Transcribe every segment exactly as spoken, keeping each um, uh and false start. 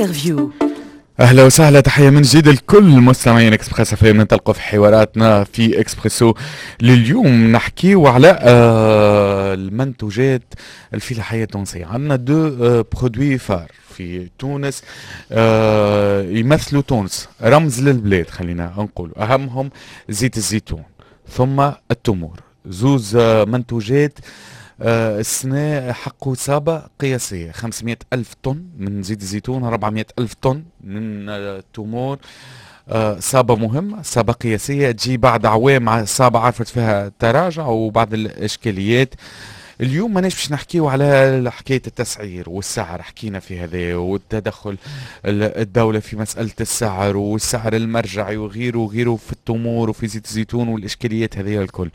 Interview. اهلا وسهلا، تحية من جديد لكل مستمعين Express FM. ننطلقوا في حواراتنا في اكسبريسو لليوم، نحكيو على آه، المنتوجات الفلاحية التونسيه. عندنا deux آه، produits phares في تونس آه، يمثلوا تونس، رمز للبلاد خلينا نقول، اهمهم زيت الزيتون ثم التمور. زوز منتوجات آه، السنة حققوا صابة قياسية، خمسمية ألف طن من زيت الزيتون، أربعمية ألف طن من التمور. آه، صابة مهمة، صابة قياسية تجي بعد أعوام صابة عرفت فيها تراجع وبعض الإشكاليات. اليوم ماناش باش نحكيو على حكاية التسعير والسعر، حكينا في هذا والتدخل الدولة في مسألة السعر والسعر المرجعي وغيره وغيره في التمور وفي زيت الزيتون والإشكاليات هذه الكل.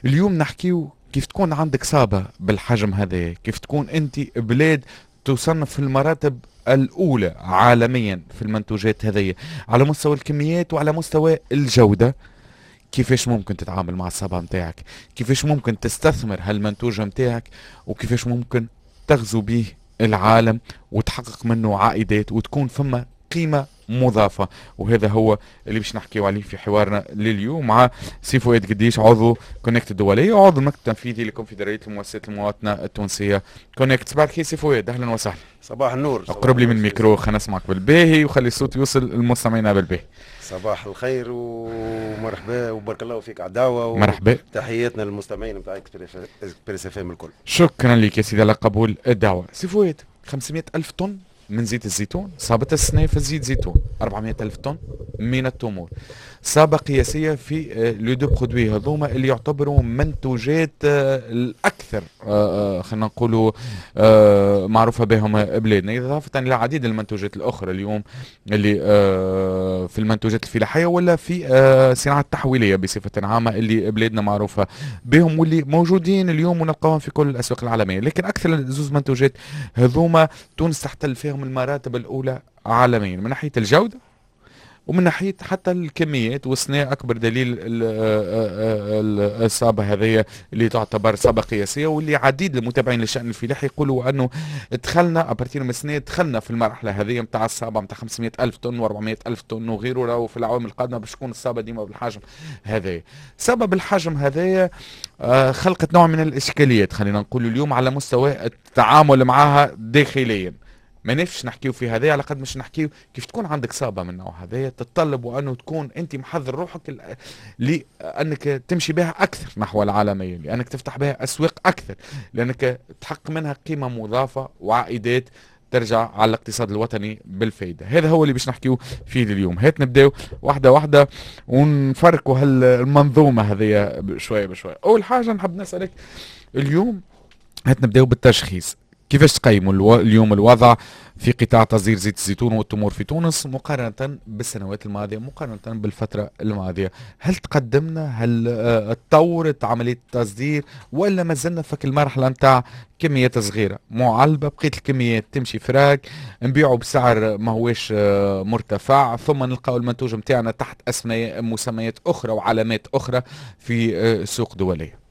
اليوم نحكيو كيف تكون عندك صابة بالحجم هذا، كيف تكون أنت بلاد تصنف في المراتب الأولى عالميا في المنتوجات هذه على مستوى الكميات وعلى مستوى الجودة، كيفاش ممكن تتعامل مع الصابة متاعك، كيفاش ممكن تستثمر هالمنتوج متاعك، وكيفاش ممكن تغزو به العالم وتحقق منه عائدات وتكون فما قيمة مضافة. وهذا هو اللي باش نحكيو عليه في حوارنا لليوم مع سي فؤاد قديش، عضو كونكت الدولية وعضو المكتب التنفيذي لكونفدرالية المؤسسات المواطنة التونسية كونكت. صباح الخير سي فؤاد، اهلا وسهلا. صباح النور. اقرب لي من الميكرو خلينا نسمعك بالباهي وخلي الصوت يوصل للمستمعين بالباهي. صباح الخير ومرحبا وبارك الله فيك على الدعوه. مرحبا. تحياتنا للمستمعين نتاع Express FM الكل. شكرا لك يا سيدي على قبول الدعوه. سي فؤاد، خمسمية ألف طن من زيت الزيتون صابت السنة في زيت زيتون، أربعمية ألف طن من التمور، صابة قياسية في آه، les deux produits هذوما اللي يعتبروا منتوجات آه، الأكثر آه، خلينا نقولوا معروفة بهم بلادنا، إضافة إلى عديد المنتوجات الأخرى اليوم اللي في المنتوجات الفلاحية ولا في الصناعة التحويلية بصفة عامة اللي بلادنا معروفة بهم واللي موجودين اليوم ونلقاهم في كل الأسواق العالمية. لكن أكثر زوز منتوجات هذوما تونس تحتل فيهم المراتب الأولى عالميا من ناحية الجودة ومن ناحية حتى الكميات، والسنة اكبر دليل الصابه هذه اللي تعتبر صابه قياسيه، واللي عديد المتابعين للشان الفلاحي يقولوا انه دخلنا à partir من السنه، دخلنا في المرحلة هذه نتاع الصابه نتاع خمسمية الف طن وأربعمية الف طن وغيره. راهو في العوام القادمة باش تكون الصابه ديما بالحجم هذا. سبب الحجم هذايا آه، خلقت نوع من الاشكاليات خلينا نقول اليوم على مستوى التعامل معها داخليا. ما نفش نحكيو في هذا على قد مش نحكيو كيف تكون عندك صابه من النوع هذا، تتطلب وانه تكون انت محضر روحك لانك تمشي بها اكثر نحو العالميه، لانك تفتح بها اسواق اكثر، لانك تحقق منها قيمة مضافة وعائدات ترجع على الاقتصاد الوطني بالفائده. هذا هو اللي باش نحكيو فيه اليوم. هات نبداو واحدة واحدة ونفركوا هالمنظومه هذه شوية بشويه. اول حاجة نحب نسالك اليوم، هات نبداو بالتشخيص، كيفاش تقيموا اليوم الوضع في قطاع تصدير زيت الزيتون والتمور في تونس مقارنة بالسنوات الماضية، مقارنة بالفترة الماضية؟ هل تقدمنا؟ هل آه، تطورت عملية التصدير ولا ما زلنا في المرحلة نتاع كميات صغيرة معلبة، بقيت الكميات تمشي فراك، نبيعوا بسعر ما هوش آه، مرتفع، ثم نلقاو المنتوج نتاعنا تحت اسماء مسميات أخرى وعلامات أخرى في آه، سوق دولية؟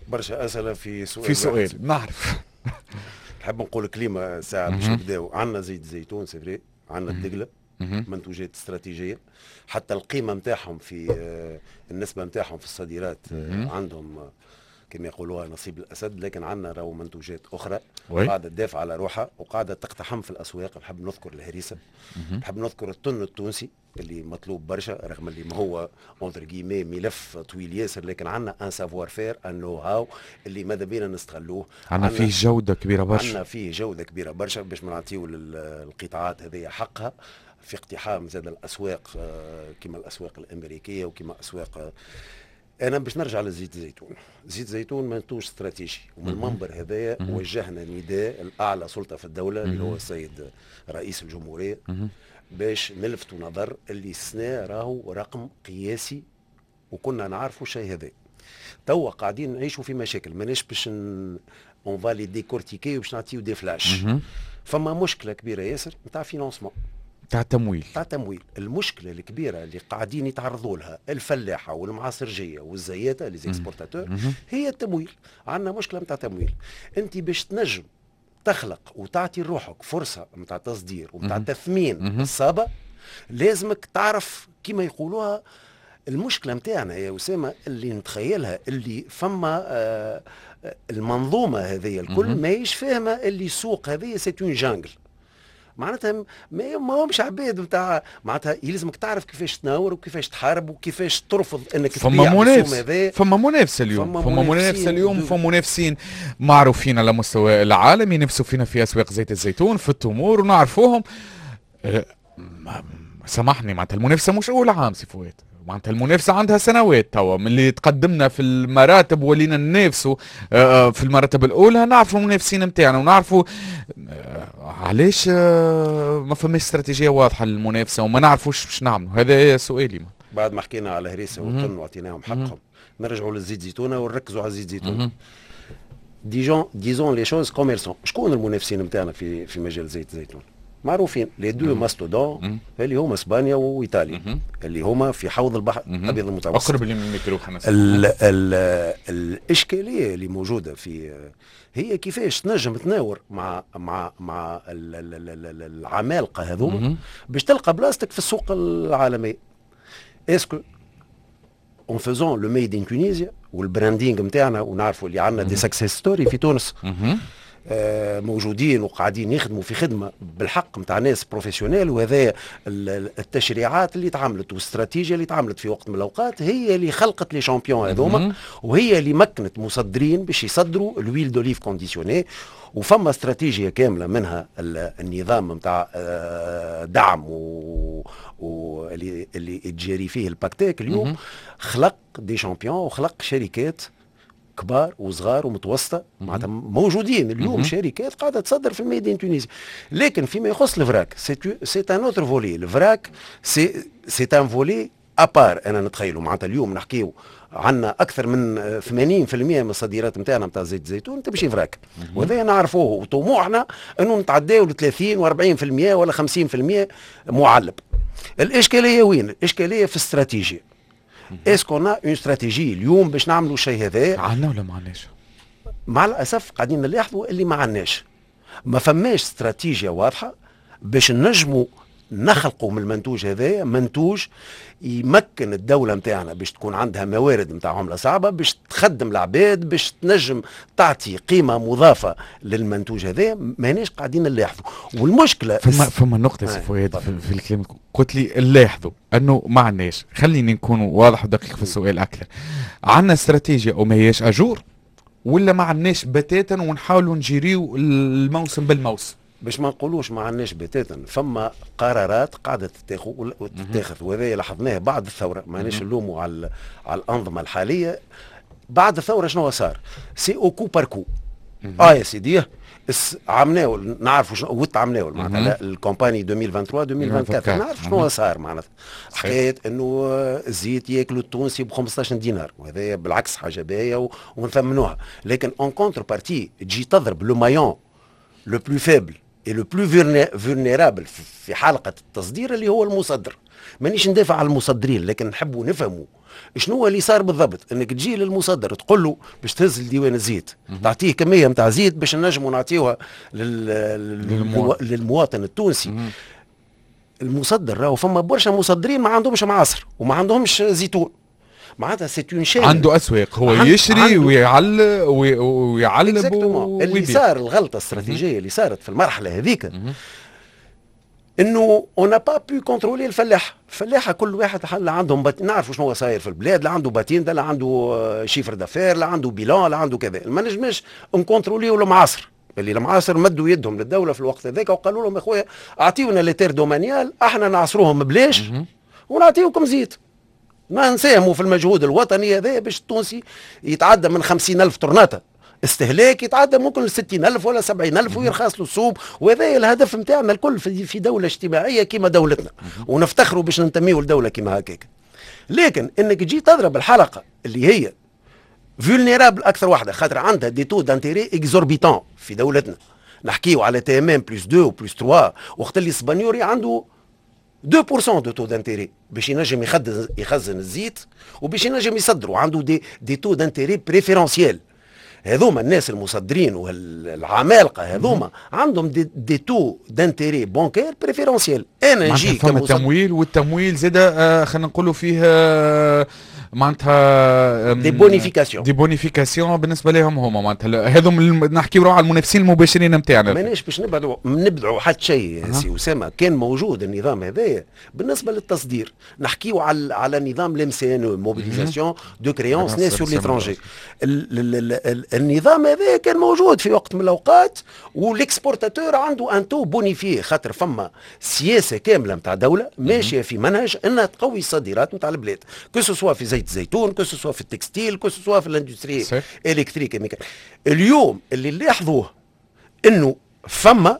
برشا اسئلة في سؤال. في سؤال، نعرف. نحب نقول كلمة ساعة باش نبداو. عندنا زيت الزيتون c'est vrai، عندنا الدقله، منتوجات استراتيجيه، حتى القيمة نتاعهم في آه، النسبة نتاعهم في الصادرات آه، عندهم آه، كما يقولوها نصيب الاسد. لكن عندنا راهو منتوجات اخرى قاعدة تدافع على روحها وقاعدة تقتحم في الاسواق. نحب نذكر الهريسه، نحب نذكر التن التونسي اللي مطلوب برشا، رغم اللي ما هو entre guillemets ملف طويل ياسر، لكن عندنا un savoir-faire، un know-how اللي ماذا بينا نستغلوه. عندنا فيه جوده كبيرة برشا. عندنا فيه جوده كبيرة برشا باش ما نعطيو للقطاعات هذه حقها في اقتحام زاد الاسواق آه، كما الاسواق الامريكية وكما اسواق. انا باش نرجع لزيت الزيتون. زيت الزيتون منتوج استراتيجي، ومن المنبر هذايا وجهنا نداء لاعلى سلطة في الدولة اللي هو السيد رئيس الجمهورية باش نلفتوا نظر اللي السنة راهو رقم قياسي، وكنا نعرفوا الشيء هذا. توا قاعدين نعيشوا في مشاكل، ماناش باش on va les décortiquer باش نعطيو des flashs. فما مشكلة كبيرة ياسر نتاع financement. تاع تمويل. تاع تمويل. المشكلة الكبيرة اللي قاعدين يتعرضوا لها الفلاحة والمعاصرجيه والزياته les exportateurs هي التمويل. عندنا مشكلة نتاع تمويل. انت باش تنجم تخلق وتعطي لروحك فرصة نتاع تصدير ونتاع تثمين الصابه، لازمك تعرف كما يقولوها. المشكلة نتاعنا يا اسامة اللي نتخيلها اللي فما آه المنظومة هذه الكل ماهيش فاهمه اللي السوق هذه c'est une jungle. معناتها ما همش عباد نتاع، معناتها يلزمك تعرف كيفاش تناور وكيفاش تحارب وكيفاش ترفض انك فما منافس، فما منافسه اليوم، فما منافسه اليوم، فما منافسين معروفين على مستوى العالم ينافسوا فينا في اسواق زيت الزيتون، في التمور، ونعرفوهم. أه، سامحني، معناتها المنافسة مش اول عام سي فؤاد، معناتها المنافسة عندها سنوات توا من اللي تقدمنا في المراتب ولينا ننافسوا آه، آه، في المراتب الاولى. نعرفوا المنافسين نتاعنا ونعرفوا آه، علاش ما فماش استراتيجية واضحة للمنافسة وما نعرفوش باش نعملوا. هذا سؤالي. بعد ما حكينا على هريسه والتن وعطيناهم حقهم، نرجعوا للزيت زيتونه ونركزوا على الزيت زيتونه. disons disons les choses comme elles sont. شكون المنافسين نتاعنا في في مجال زيت الزيتون؟ معروفين les deux mastodontes اللي هما اسبانيا وايطاليا، اللي هما في حوض البحر الابيض المتوسط. اقرب لي من الميكرو. ال ال الاشكالية اللي موجودة في هي كيفاش تنجم تناور مع مع مع العمالقة هذوما باش تلقى بلاصتك في السوق العالمي. est-ce que en faisant le made in Tunisia وال branding نتاعنا، ونعرفوا اللي عندنا des success stories في تونس آه، موجودين وقاعدين يخدموا في خدمة بالحق نتاع ناس professionnels، وهذا التشريعات اللي تعملت والاستراتيجيا اللي تعملت في وقت من الاوقات هي اللي خلقت les champions هذوما، وهي اللي مكنت مصدرين باش يصدروا l'huile d'olive conditionnée. وفما استراتيجية كاملة منها النظام نتاع آه، دعم و واللي اللي تجاري فيه ال PACTEC اليوم خلق des champions وخلق شركات كبار وصغار ومتوسطه، معناتها موجودين اليوم شركات قاعدة تصدر في ال made in Tunisie. لكن فيما يخص ال vrac c'est un autre volet. ال vrac c'est c'est un volet à part. انا نتخيلوا معناتها اليوم نحكيو عندنا اكثر من ثمانين في المية من الصادرات نتاعنا نتاع زيت الزيتون تمشي vrac، وهذا نعرفوه، وطموحنا انه نتعداو ل ثلاثين وأربعين في المية ولا خمسين في المية معلب. الاشكالية وين؟ الاشكالية في استراتيجيا. est-ce qu'on a une stratégie اليوم باش نعملوا الشيء هذا؟ عندنا ولا ما عندناش؟ مع الاسف قاعدين نلاحظوا اللي ما عندناش، ما فماش استراتيجيا واضحة باش نجموا نخلقوا من المنتوج هذا منتوج يمكن الدولة نتاعنا باش تكون عندها موارد نتاع عملة صعبة باش تخدم العباد، باش تنجم تعطي قيمة مضافة للمنتوج هذا. ماناش قاعدين نلاحظوا، والمشكلة فما فما نقطة سي فؤاد في, في الكلام، قلت لي نلاحظوا انه ما عندناش. خليني نكون واضح ودقيق في السؤال اكثر: عندنا استراتيجيا وما هياش à jour، ولا ما عندناش بتاتا ونحاولوا نجيريو الموسم بالموسم؟ باش ما نقولوش ما عندناش بتاتا، فما قرارات قاعدة تتاخذ وتتاخذ، وهذا لاحظناه بعد الثوره. ماناش نلوموا على على الانظمة الحاليه. بعد الثورة شنو صار؟ c'est au coup par coup. اه يا سيدي، عمناول نعرفوا شنو وت عمناول، معناتها ال campagne ألفين وثلاثة وعشرين ألفين وأربعة وعشرين نعرف شنو صار. معناتها حكاية انه الزيت ياكلوا التونسي ب خمسطاش دينار، وهذا بالعكس حاجة باهيه ونثمنوها، لكن en contrepartie تجي تضرب le maillon le plus faible et le plus vulnérable في حلقة التصدير اللي هو المصدر. مانيش ندافع على المصدرين، لكن نحبوا نفهموا شنو هو اللي صار بالضبط. انك تجي للمصدر تقول له باش تهز الديوان الزيت، تعطيه كمية نتاع زيت باش نجموا نعطيوها لل... للمواطن التونسي. المصدر راهو فما برشا مصدرين ما عندهمش معاصر وما عندهمش زيتون، معناتها c'est une chaîne. عنده اسواق هو يشري ويعلب ويعلب. اللي صار، الغلطة الاستراتيجية اللي صارت في المرحلة هذيك انه on n'a pas pu contrôler الفلاح. الفلاحة كل واحد لا عندهم بات... نعرفوا شنو صاير في البلاد، لا عنده patente، لا عنده chiffre d'affaires، لا عنده bilan، لا عنده كذا. ما نجمش نكونتروليو المعاصر، اللي المعاصر مدوا يدهم للدولة في الوقت هذاك وقالوا لهم: يا خويا اعطيونا les terres domaniales، احنا نعصروهم بلاش ونعطيوكم زيت، ما نساهموا في المجهود الوطني هذا باش التونسي يتعدى من خمسين ألف طرناطة استهلاك يتعدى ممكن ل ستين ألف ولا سبعين ألف ويرخص له السوم. وهذا الهدف نتاعنا الكل في دولة اجتماعية كما دولتنا، ونفتخروا باش ننتميوا لدولة كما هكاك. لكن انك تجي تضرب الحلقة اللي هي vulnérable اكثر واحدة، خاطر عندها des taux d'intérêt exorbitants في دولتنا، نحكيو على TMM plus deux و plus ثلاثة، وقت اللي السبانيوري عنده deux في المية de taux d'intérêt باش ينجم يخزن يخزن الزيت وباش ينجم يصدروا، عنده des des taux d'intérêt préférentiels. هذوما الناس المصدرين والعمالقه هذوما عندهم des, des taux d'intérêt bancaires préférentiels. انا نجي فما تمويل، والتمويل زاد آه خلينا نقولوا فيه آه معناتها des bonifications. des bonifications بالنسبة لهم هما. معناتها هذم نحكيو على المنافسين المباشرين نتاعنا. ماناش باش نبعدوا نبدعوا حتى شيء أه. سي اسامه، كان موجود النظام هذايا بالنسبة للتصدير. نحكيو على على نظام ال MCN، mobilisation de créances nées sur l'étranger. النظام هذا كان موجود في وقت من الاوقات، و l'exportateur عنده un taux bonifié، خاطر فما سياسة كاملة نتاع دولة ماشية في منهج انها تقوي الصادرات نتاع البلاد، que ce soit في زيت الزيتون، que ce soit في ال textile، que ce soit في l'industrie électrique. اليوم اللي لاحظوه انه فما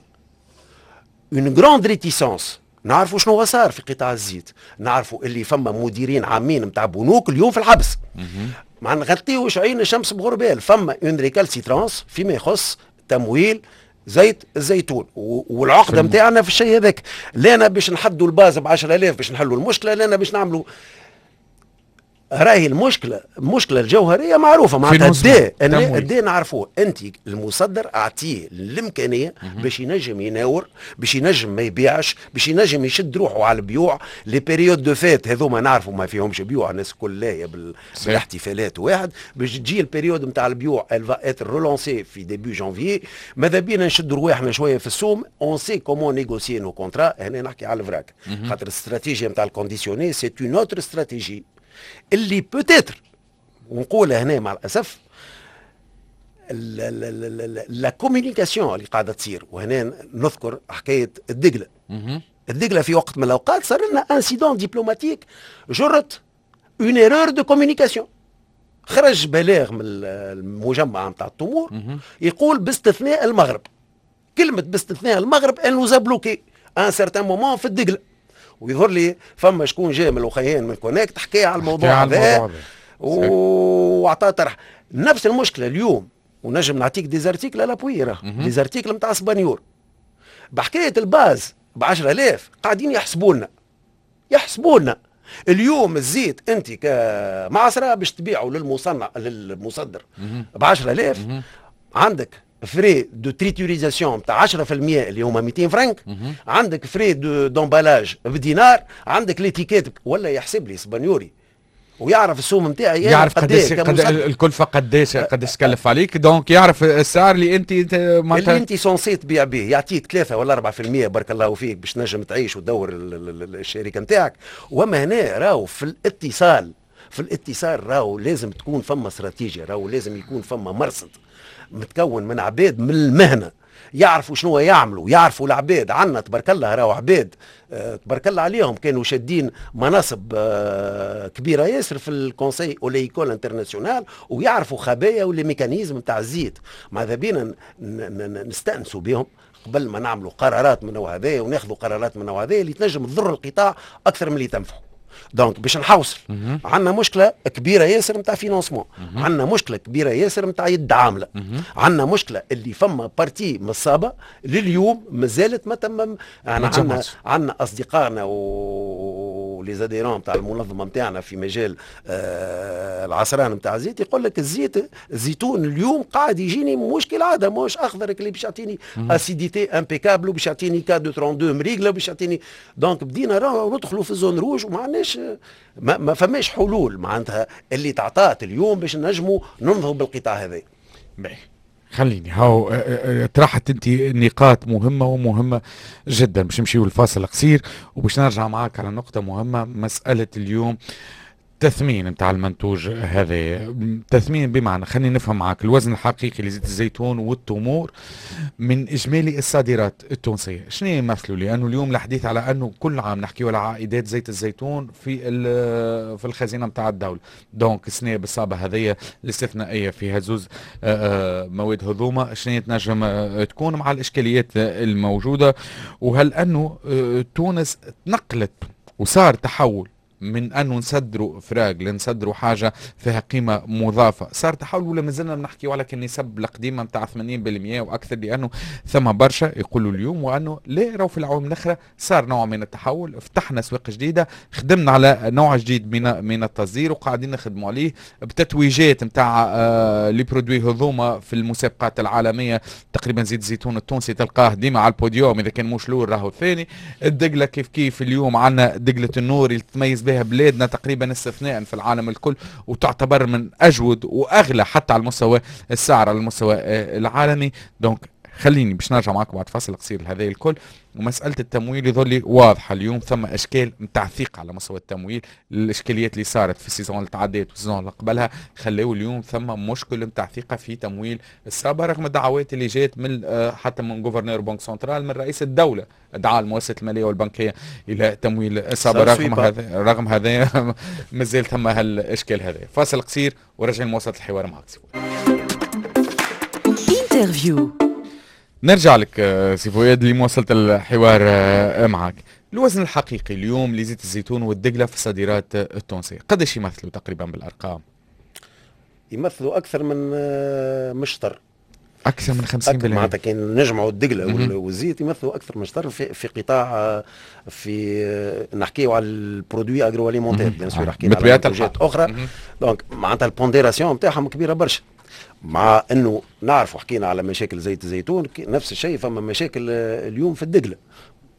une grande réticence. نعرفوا شنو صار في قطاع الزيت، نعرفوا اللي فما مديرين عامين نتاع بنوك اليوم في الحبس. ما نغطيوش عين الشمس بغربال، فما une récalcitrance فيما يخص تمويل زيت الزيتون، والعقده نتاعنا في الشيء هذاك. لانا باش نحدوا ال base ب عشرة آلاف باش نحلوا المشكله، لانا باش نعملوا. راهي المشكله، المشكلة الجوهرية معروفه، معناتها الداء الداء نعرفوه. انت المصدر اعطيه الامكانية باش ينجم يناور، باش ينجم ما يبيعش، باش ينجم يشد روحه على البيوع. les périodes de fêtes هذوما نعرفوا ما فيهمش بيوع، الناس الكل لاهية بال... بالاحتفالات واحد. باش تجي ال période نتاع البيوع، elle va être relancée في début janvier. ماذا بينا نشدوا رواحنا شوية في السوم، on sait comment négocier nos contrats. هنا نحكي على ال vrac، خاطر الاستراتيجية نتاع ال conditionné c'est une autre stratégie اللي peut-être، ونقولها هنا مع الاسف، la communication اللي قاعدة تصير. وهنا نذكر حكاية الدقله. الدقله في وقت من الاوقات صار لنا incident diplomatique جرت une erreur de communication. خرج بلاغ من المجمع نتاع التمور يقول باستثناء المغرب. كلمة باستثناء المغرب elle nous a bloqués à un certain moment في الدقله. ويظهر لي فما شكون جاي من الاخيين من كونكت حكى على الموضوع هذا واعطاه طرح. نفس المشكلة اليوم، ونجم نعطيك des articles à l'appui، des articles نتاع سبانيور بحكاية ال base ب عشرة آلاف. قاعدين يحسبوا لنا يحسبوا لنا اليوم الزيت انت كمعصره باش تبيعه للمصنع للمصدر ب عشرة آلاف، عندك frais de triturisation تاع عشرة في المية اللي هما ميتين فرنك، عندك frais de d'emballage بدينار، عندك l'étiquette. ولا يحسب لي سبانيوري ويعرف السوم نتاعي. يعرف قداش قد الكلفه، قداش قداش تكلف عليك، donc يعرف السعر اللي انت معناتها اللي انت censé تبيع به. يعطيك ثلاثة ولا أربعة في المية بارك الله فيك باش تنجم تعيش وتدور الشركة نتاعك. وما هنا راهو في الاتصال في الاتصال راهو لازم تكون فما استراتيجيا، راهو لازم يكون فما مرصد متكون من عباد من المهنة يعرفوا شنو يعملوا، يعرفوا العباد. عندنا تبارك الله راهو عباد آه، تبارك الله عليهم كانوا شادين مناصب آه، كبيرة ياسر في ال conseil oléicole international ويعرفوا خبايا و les mécanismes نتاع الزيت. ماذا بينا نستانسوا بهم قبل ما نعملوا قرارات من النوع هذا وناخذوا قرارات من النوع هذا اللي تنجم تضر القطاع اكثر من اللي تنفعه. donc باش نحوصل، عندنا مشكلة كبيرة ياسر نتاع financement، عندنا مشكلة كبيرة ياسر نتاع يد عامله، عندنا مشكلة اللي فما partie من الصابه لليوم مازالت ما تم. عندنا عندنا اصدقائنا و les adhérents نتاع المنظمة نتاعنا في مجال آه العصران نتاع الزيت يقول لك الزيت الزيتون اليوم قاعد يجيني مش كالعاده، مش اخضر اللي باش يعطيني acidité impeccable وباش يعطيني K اثنين وثلاثين مريقله باش يعطيني. donc بدينا راهو ندخلوا في zone rouge وما عندناش ما, ما فماش حلول معناتها اللي تعطات اليوم باش نجموا ننهضوا بالقطاع هذا. باهي، خليني هاو آه، آه، آه، طرحت انت نقاط مهمة ومهمة جدا. باش نمشيو الفاصل قصير وباش نرجع معاك على نقطة مهمه، مسالة اليوم تثمين نتاع المنتوج هذا. تثمين بمعنى خليني نفهم معك الوزن الحقيقي لزيت الزيتون والتمور من اجمالي الصادرات التونسية شنو يمثلوا؟ لانه اليوم الحديث على انه كل عام نحكيو على عائدات زيت الزيتون في في الخزينة نتاع الدوله. donc السنة بالصابه هذه الاستثنائية في زوز آه، آه، مواد هذوما شنو تنجم آه، تكون مع الاشكاليات الموجوده؟ وهل انه تونس تنقلت وصار تحول من انه نصدروا فراق لنصدروا حاجة فيها قيمة مضافة، صار تحول ولا مازلنا بنحكيو على النسب القديمة نتاع ثمانين بالمية واكثر؟ لانه ثم برشا يقولوا اليوم وانه لا، راهو في العوام الاخرى صار نوع من التحول، فتحنا اسواق جديده، خدمنا على نوع جديد من من التصدير وقاعدين نخدموا عليه بتتويجات نتاع آه les produits هذوما في المسابقات العالميه. تقريبا زيت الزيتون التونسي تلقاه ديما على البوديوم، اذا كان مش الاول راهو الثاني. الدقله كيف كيف، اليوم عندنا دقله النور اللي تميز بها بلادنا تقريبا استثناء في العالم الكل، وتعتبر من اجود واغلى حتى على المستوى السعر على المستوى آه، العالمي. donc خليني باش نرجع معك بعد فاصل قصير لهذا الكل. ومسألة التمويل يظل واضحة اليوم، ثم أشكال نتاع ثقة على مستوى التمويل. الإشكاليات اللي صارت في ال saison اللي تعديت وال saison اللي قبلها خلاو اليوم ثم مشكل نتاع ثقة في تمويل الصابة، رغم الدعوات اللي جات من آه، حتى من gouverneur banque centrale، من رئيس الدولة، دعا المؤسسات المالية والبنكية إلى تمويل الصابة. رغم هذا رغم هذا مازال ثم هالإشكال هذا. فاصل قصير ورجع لمواصلة الحوار معك. interview. نرجع لك آه، سي فؤاد لمواصلة الحوار آه، معك. الوزن الحقيقي اليوم لزيت الزيتون والدقلة في الصادرات التونسية قداش يمثلوا تقريبا بالأرقام؟ يمثلوا أكثر من آه، مشطر. أكثر من خمسين بالمية. معناتها كان نجمعوا الدقلة والزيت يمثلوا أكثر من شطر في, في قطاع، في نحكيو على ال produits agroalimentaires bien sûr، حكينا على منتوجات أخرى. donc معناتها ال pondération نتاعهم كبيرة برشا، مع انه نعرفوا حكينا على مشاكل زيت الزيتون، نفس الشيء فما مشاكل آه، اليوم في الدقله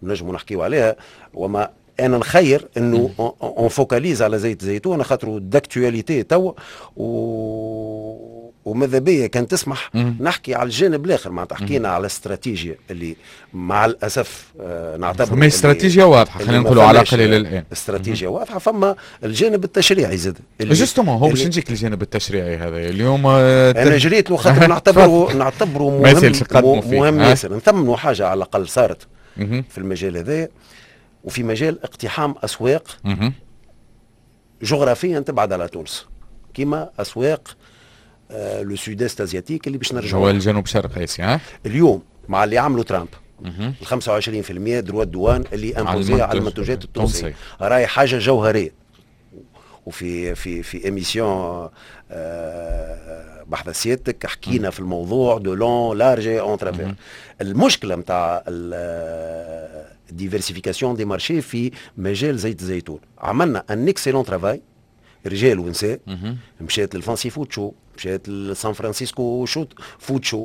نجموا نحكيو عليها. وما انا نخير انه on focalise على زيت الزيتون خاطر d'actualité توا، و وماذا بيا كان تسمح نحكي على الجانب الاخر. معناتها حكينا على استراتيجيا اللي مع الاسف آه نعتبر فما استراتيجيا واضحه، خلينا نقولوا على الاقل الى الان. استراتيجيا واضحه، فما الجانب التشريعي زاد. justement هو باش نجيك الجانب التشريعي هذا اليوم. آه انا جريت له خاطر نعتبره نعتبره مهم مهم ياسر. نثمنوا حاجة على الاقل صارت في المجال هذا وفي مجال اقتحام اسواق جغرافيا تبعد على تونس، كما اسواق آه le sud-est asiatique اللي باش نرجعوا هو الجنوب شرق اسيا. اليوم مع اللي عملوا ترامب، ال خمسة وعشرين في المية droits de douane اللي imposés على المنتوجات التونسيه، راهي حاجة جوهريه. وفي في في émission آه بحث سيادتك حكينا في الموضوع de long large en travers. المشكلة نتاع ال diversification des marchés في مجال زيت الزيتون، عملنا un excellent travail رجال ونساء، مشات لل Fancy Food Show، مشات لسان فرانسيسكو show food show،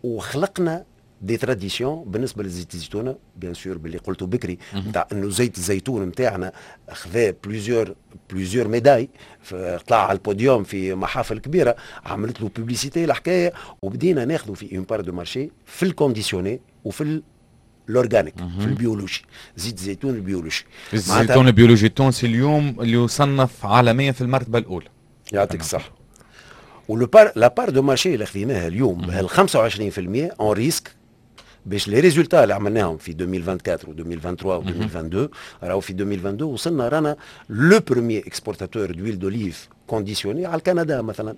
وخلقنا des traditions بالنسبة لزيت الزيتونه. bien sûr باللي قلته بكري نتاع انه زيت الزيتون نتاعنا خذا plusieurs plusieurs médailles، طلع على البوديوم في محافل كبيره، عملت له publicité الحكايه، وبدينا ناخذوا في une part de marché في ال conditionné وفي l'organique، في البيولوجي، زيت الزيتون البيولوجي. الزيتون البيولوجي التونسي اليوم اللي يصنف عالميا في المرتبة الاولى. يعطيك الصحه. و le part la part de marché اللي خذيناها اليوم بهال خمسة وعشرين في المية on risque باش les résultats اللي عملناهم في ألفين وأربعة وعشرين و ألفين وثلاثة وعشرين و ألفين واثنين وعشرين، راهو في ألفين واثنين وعشرين وصلنا رانا le premier exportateur d'huile d'olive conditionnée على كندا مثلا.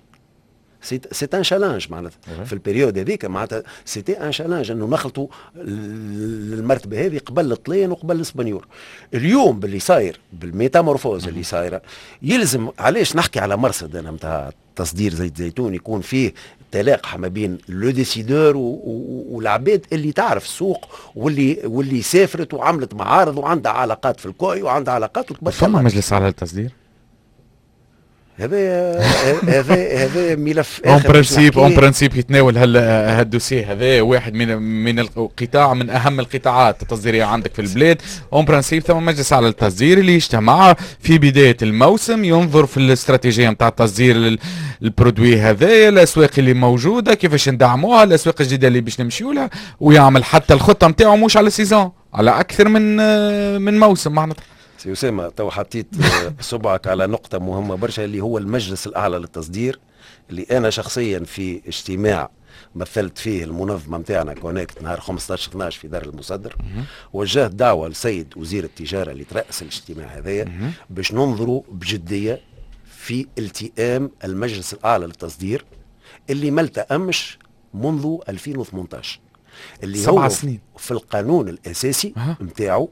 c'est un challenge معناتها في ال période هذيك، معناتها c'était un challenge انه نخلطوا المرتبة هذه قبل الطليان وقبل الاسبانيول. اليوم باللي صاير، بال métamorphose اللي صايره، يلزم علاش نحكي على مرصد انا نتاع تصدير زيت زيتون يكون فيه تلاقح ما بين les décideurs والعباد اللي تعرف السوق واللي واللي سافرت وعملت معارض وعندها علاقات في الكوي وعندها علاقات. فما مجلس على التصدير؟ هذا هذا هذا ملف en principe en principe يتناول هال هال dossier هذا واحد من من القطاع من اهم القطاعات التصديريه عندك في البلاد. en principe ثم مجلس على التصدير اللي يجتمع في بداية الموسم، ينظر في الاستراتيجية نتاع التصدير ال produit هذا، الاسواق اللي موجوده، كيفاش ندعموها، الاسواق الجديدة اللي باش نمشيو لها، ويعمل حتى الخطة نتاعو مش على saison، على اكثر من من موسم معناتها. سي أسامة، تو حطيت صبعك على نقطة مهمة برشا اللي هو المجلس الأعلى للتصدير، اللي أنا شخصيا في اجتماع مثلت فيه المنظمة نتاعنا كونكت نهار خمسطاش اثناش في دار المصدر، وجهت دعوة لسيد وزير التجارة اللي ترأس الاجتماع هذايا باش ننظروا بجدية في التئام المجلس الأعلى للتصدير اللي ما التأمش منذ ألفين وثمنطاش، اللي سبع هو سنين. في القانون الأساسي نتاعو.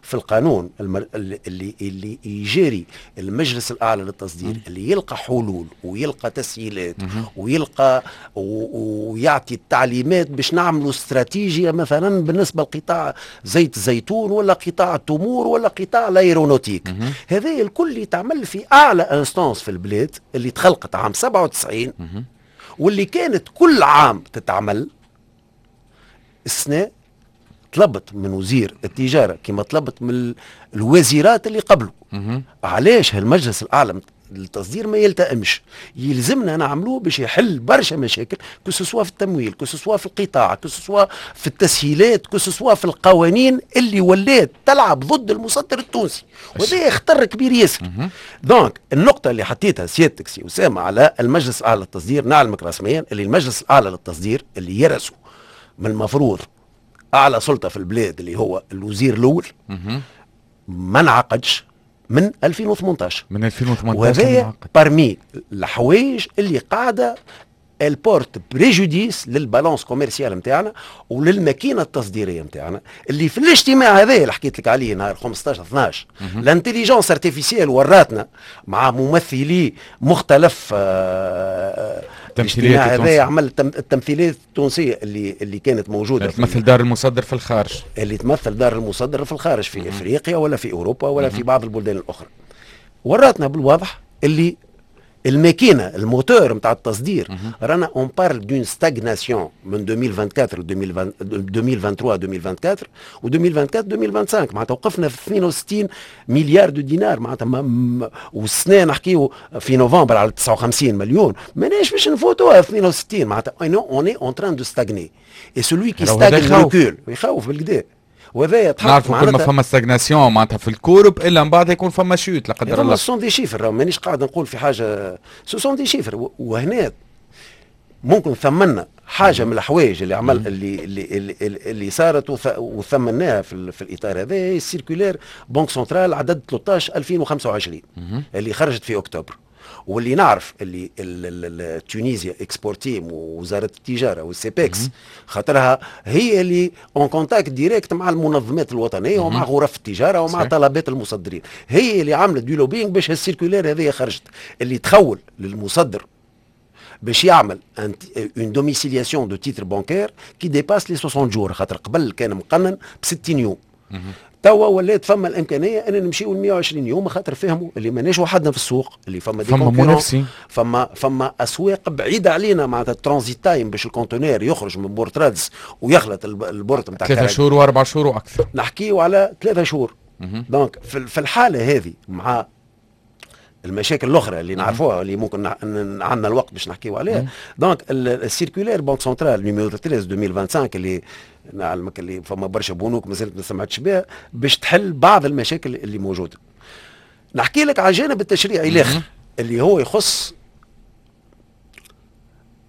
في القانون المر... اللي اللي يجاري المجلس الاعلى للتصدير، اللي يلقى حلول ويلقى تسهيلات ويلقى و... ويعطي التعليمات باش نعملوا استراتيجية مثلا بالنسبة لقطاع زيت الزيتون ولا قطاع التمور ولا قطاع l'aéronautique. هذا الكل يتعمل في اعلى instance في البلاد اللي تخلقت عام سبعة وتسعين واللي كانت كل عام تتعمل. السنة طلبت من وزير التجارة كما طلبت من الوزيرات اللي قبله، علاش هالمجلس الاعلى للتصدير ما يلتئمش؟ يلزمنا نعملوه باش يحل برشا مشاكل، que ce soit في التمويل، que ce soit في القطاع، que ce soit في التسهيلات، que ce soit في القوانين اللي ولات تلعب ضد المصدر التونسي، وهذا خطر كبير ياسر. donc النقطة اللي حطيتها سيادتك سي اسامة على المجلس الاعلى للتصدير، نعلمك رسميا اللي المجلس الاعلى للتصدير اللي يرأسه من المفروض اعلى سلطة في البلاد اللي هو الوزير الاول ما انعقدش من ألفين وثمنطاش. من ألفين وثمنطاش. وهذا parmi الحوايج اللي قاعدة elle porte préjudice لل balance commerciale نتاعنا وللماكينه التصديريه نتاعنا. اللي في الاجتماع هذا اللي حكيت لك عليه نهار خمسطاش اثناش، l'intelligence artificielle وراتنا مع ممثلي مختلف آه، الاجتماع هذا عمل التمثيليات التونسية اللي اللي كانت موجوده. تمثل دار المصدر في الخارج. اللي تمثل دار المصدر في الخارج، في افريقيا ولا في اوروبا ولا في بعض البلدان الاخرى، وراتنا بالواضح اللي الماكينه، الموتور نتاع التصدير، رانا on parle d'une stagnation من ألفين وأربعة وعشرين ألفين وثلاثة وعشرين ألفين وأربعة وعشرين و ألفين وأربعة وعشرين ألفين وخمسة وعشرين، معناتها وقفنا في اثنين وستين milliards de dinars معناتها، والسنة نحكيو في نوفمبر على تسعة وخمسين مليون، ماناش باش نفوتوها اثنين وستين، معناتها on est en train de stagner et celui qui stagne recule. يخوف بالقدا. وهذا نعرفوا كل ما فما stagnation معناتها في ال courbe الا من بعد يكون فما chute لا قدر الله. ce sont des chiffres، مانيش قاعد نقول في حاجه، ce sont des chiffres. وهنا ممكن ثمنا حاجة من الحوايج اللي عمل اللي اللي اللي, اللي صارت وثمناها في, في الاطار هذا، ال circulaire Banque centrale عدد ثلاثطاش ألفين وخمسة وعشرين اللي خرجت في اكتوبر، واللي نعرف اللي Tunisia Exporteam ووزارة التجارة وال CEPEX، خاطرها هي اللي en contact direct مع المنظمات الوطنية ومع غرف التجارة ومع طلبات المصدرين، هي اللي عملت du lobbying باش ال circulaire هذه خرجت، اللي تخول للمصدر باش يعمل une domiciliation de titres bancaires qui dépasse les soixante jours، خاطر قبل كان مقنن ب ستين يوم، توا ولات فما الامكانية ان نمشيو ل مية وعشرين يوم، خاطر فهموا اللي ماناش وحدنا في السوق، اللي فما des فما منافسين. فما فما اسواق بعيدة علينا، معناتها ال transit time باش ال conteneur يخرج من port رادس ويخلط ال port نتاع ثلاثة شهور واربع شهور واكثر. نحكيو على ثلاثة شهور. donc في الحالة هذه مع المشاكل الاخرى اللي نعرفوها، اللي ممكن عندنا الوقت باش نحكيو عليها، donc ال circulaire Banque centrale numéro ثلاثطاش ألفين وخمسة وعشرين اللي نعلمك اللي فما برشا بنوك مازالت ما سمعتش بها، باش تحل بعض المشاكل اللي موجوده. نحكي لك على الجانب التشريعي الاخر اللي هو يخص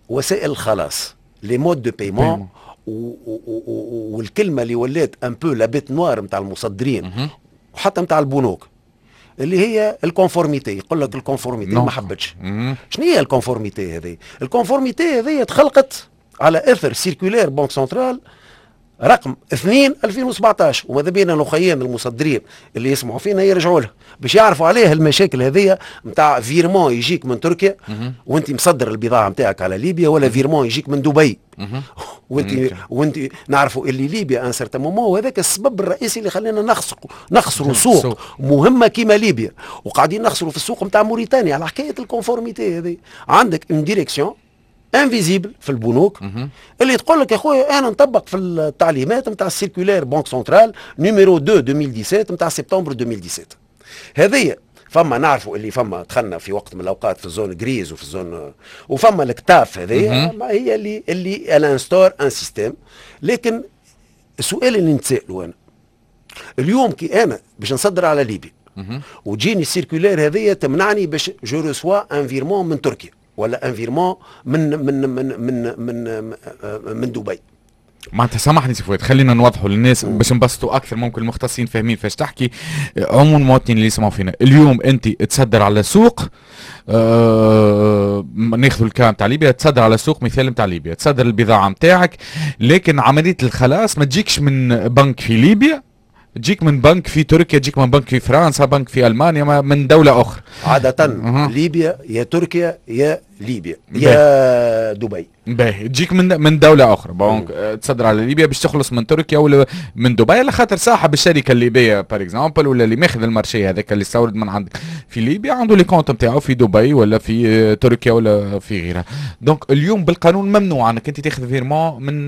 وسائل الخلاص، les modes de paiement، والكلمة اللي ولات un peu la bête noire نتاع المصدرين وحتى نتاع البنوك، اللي هي ال conformité. يقول لك ال conformité ما حبتش. شنو هي ال conformité هذه؟ ال conformité هذه تخلقت على اثر circulaire Banque centrale رقم اثنين ألفين وسبعطاش، وماذا بينا الاخيين المصدرين اللي يسمعوا فينا يرجعوا له باش يعرفوا عليه المشاكل هذيا نتاع virement يجيك من تركيا وانت مصدر البضاعة نتاعك على ليبيا، ولا virement يجيك من دبي وانت وانت نعرفوا اللي ليبيا à un certain moment، وهذاك السبب الرئيسي اللي خلينا نخسروا نخسروا سوق مهمة كيما ليبيا، وقاعدين نخسروا في السوق نتاع موريتانيا على حكاية ال conformité هذه. عندك une direction invisible في البنوك اللي تقول لك يا خويا انا نطبق في التعليمات نتاع ال circulaire Banque centrale numéro اثنين ألفين وسبعطاش نتاع سبتمبر ألفين وسبعطاش. هذه فما نعرفوا اللي فما دخلنا في وقت من الاوقات في ال zone grise وفي ال zone، وفما ال CTAF هذه هي اللي اللي elle instaure un système. لكن السؤال اللي نتسالوا انا اليوم، كي انا باش نصدر على ليبيا وتجيني ال circulaire هذه تمنعني باش je reçois un virement من تركيا ولا un virement من من من من من من دبي. معناتها سامحني سي فؤاد، خلينا نوضحوا للناس باش نبسطوا اكثر، ممكن المختصين فاهمين فاش تحكي، عموم المواطنين اللي يسمعوا فينا اليوم، انت تصدر على سوق، آه ناخذ ال cas نتاع ليبيا، تصدر على سوق مثال نتاع ليبيا، تصدر البضاعة نتاعك، لكن عملية الخلاص ما تجيكش من بنك في ليبيا. تجيك من بنك في تركيا، تجيك من بنك في فرنسا، بنك في المانيا، من دولة اخرى. عادة أه. ليبيا يا تركيا يا ليبيا يا دبي. باهي، تجيك من من دولة اخرى، بنك تصدر على ليبيا باش تخلص من تركيا ولا من دبي، على خاطر صاحب الشركة الليبية par exemple ولا اللي ماخذ ال marché هذاك اللي استورد من عندك في ليبيا عنده les comptes نتاعو في دبي ولا في تركيا ولا في غيرها. donc اليوم بالقانون ممنوع انك انت تاخذ virement من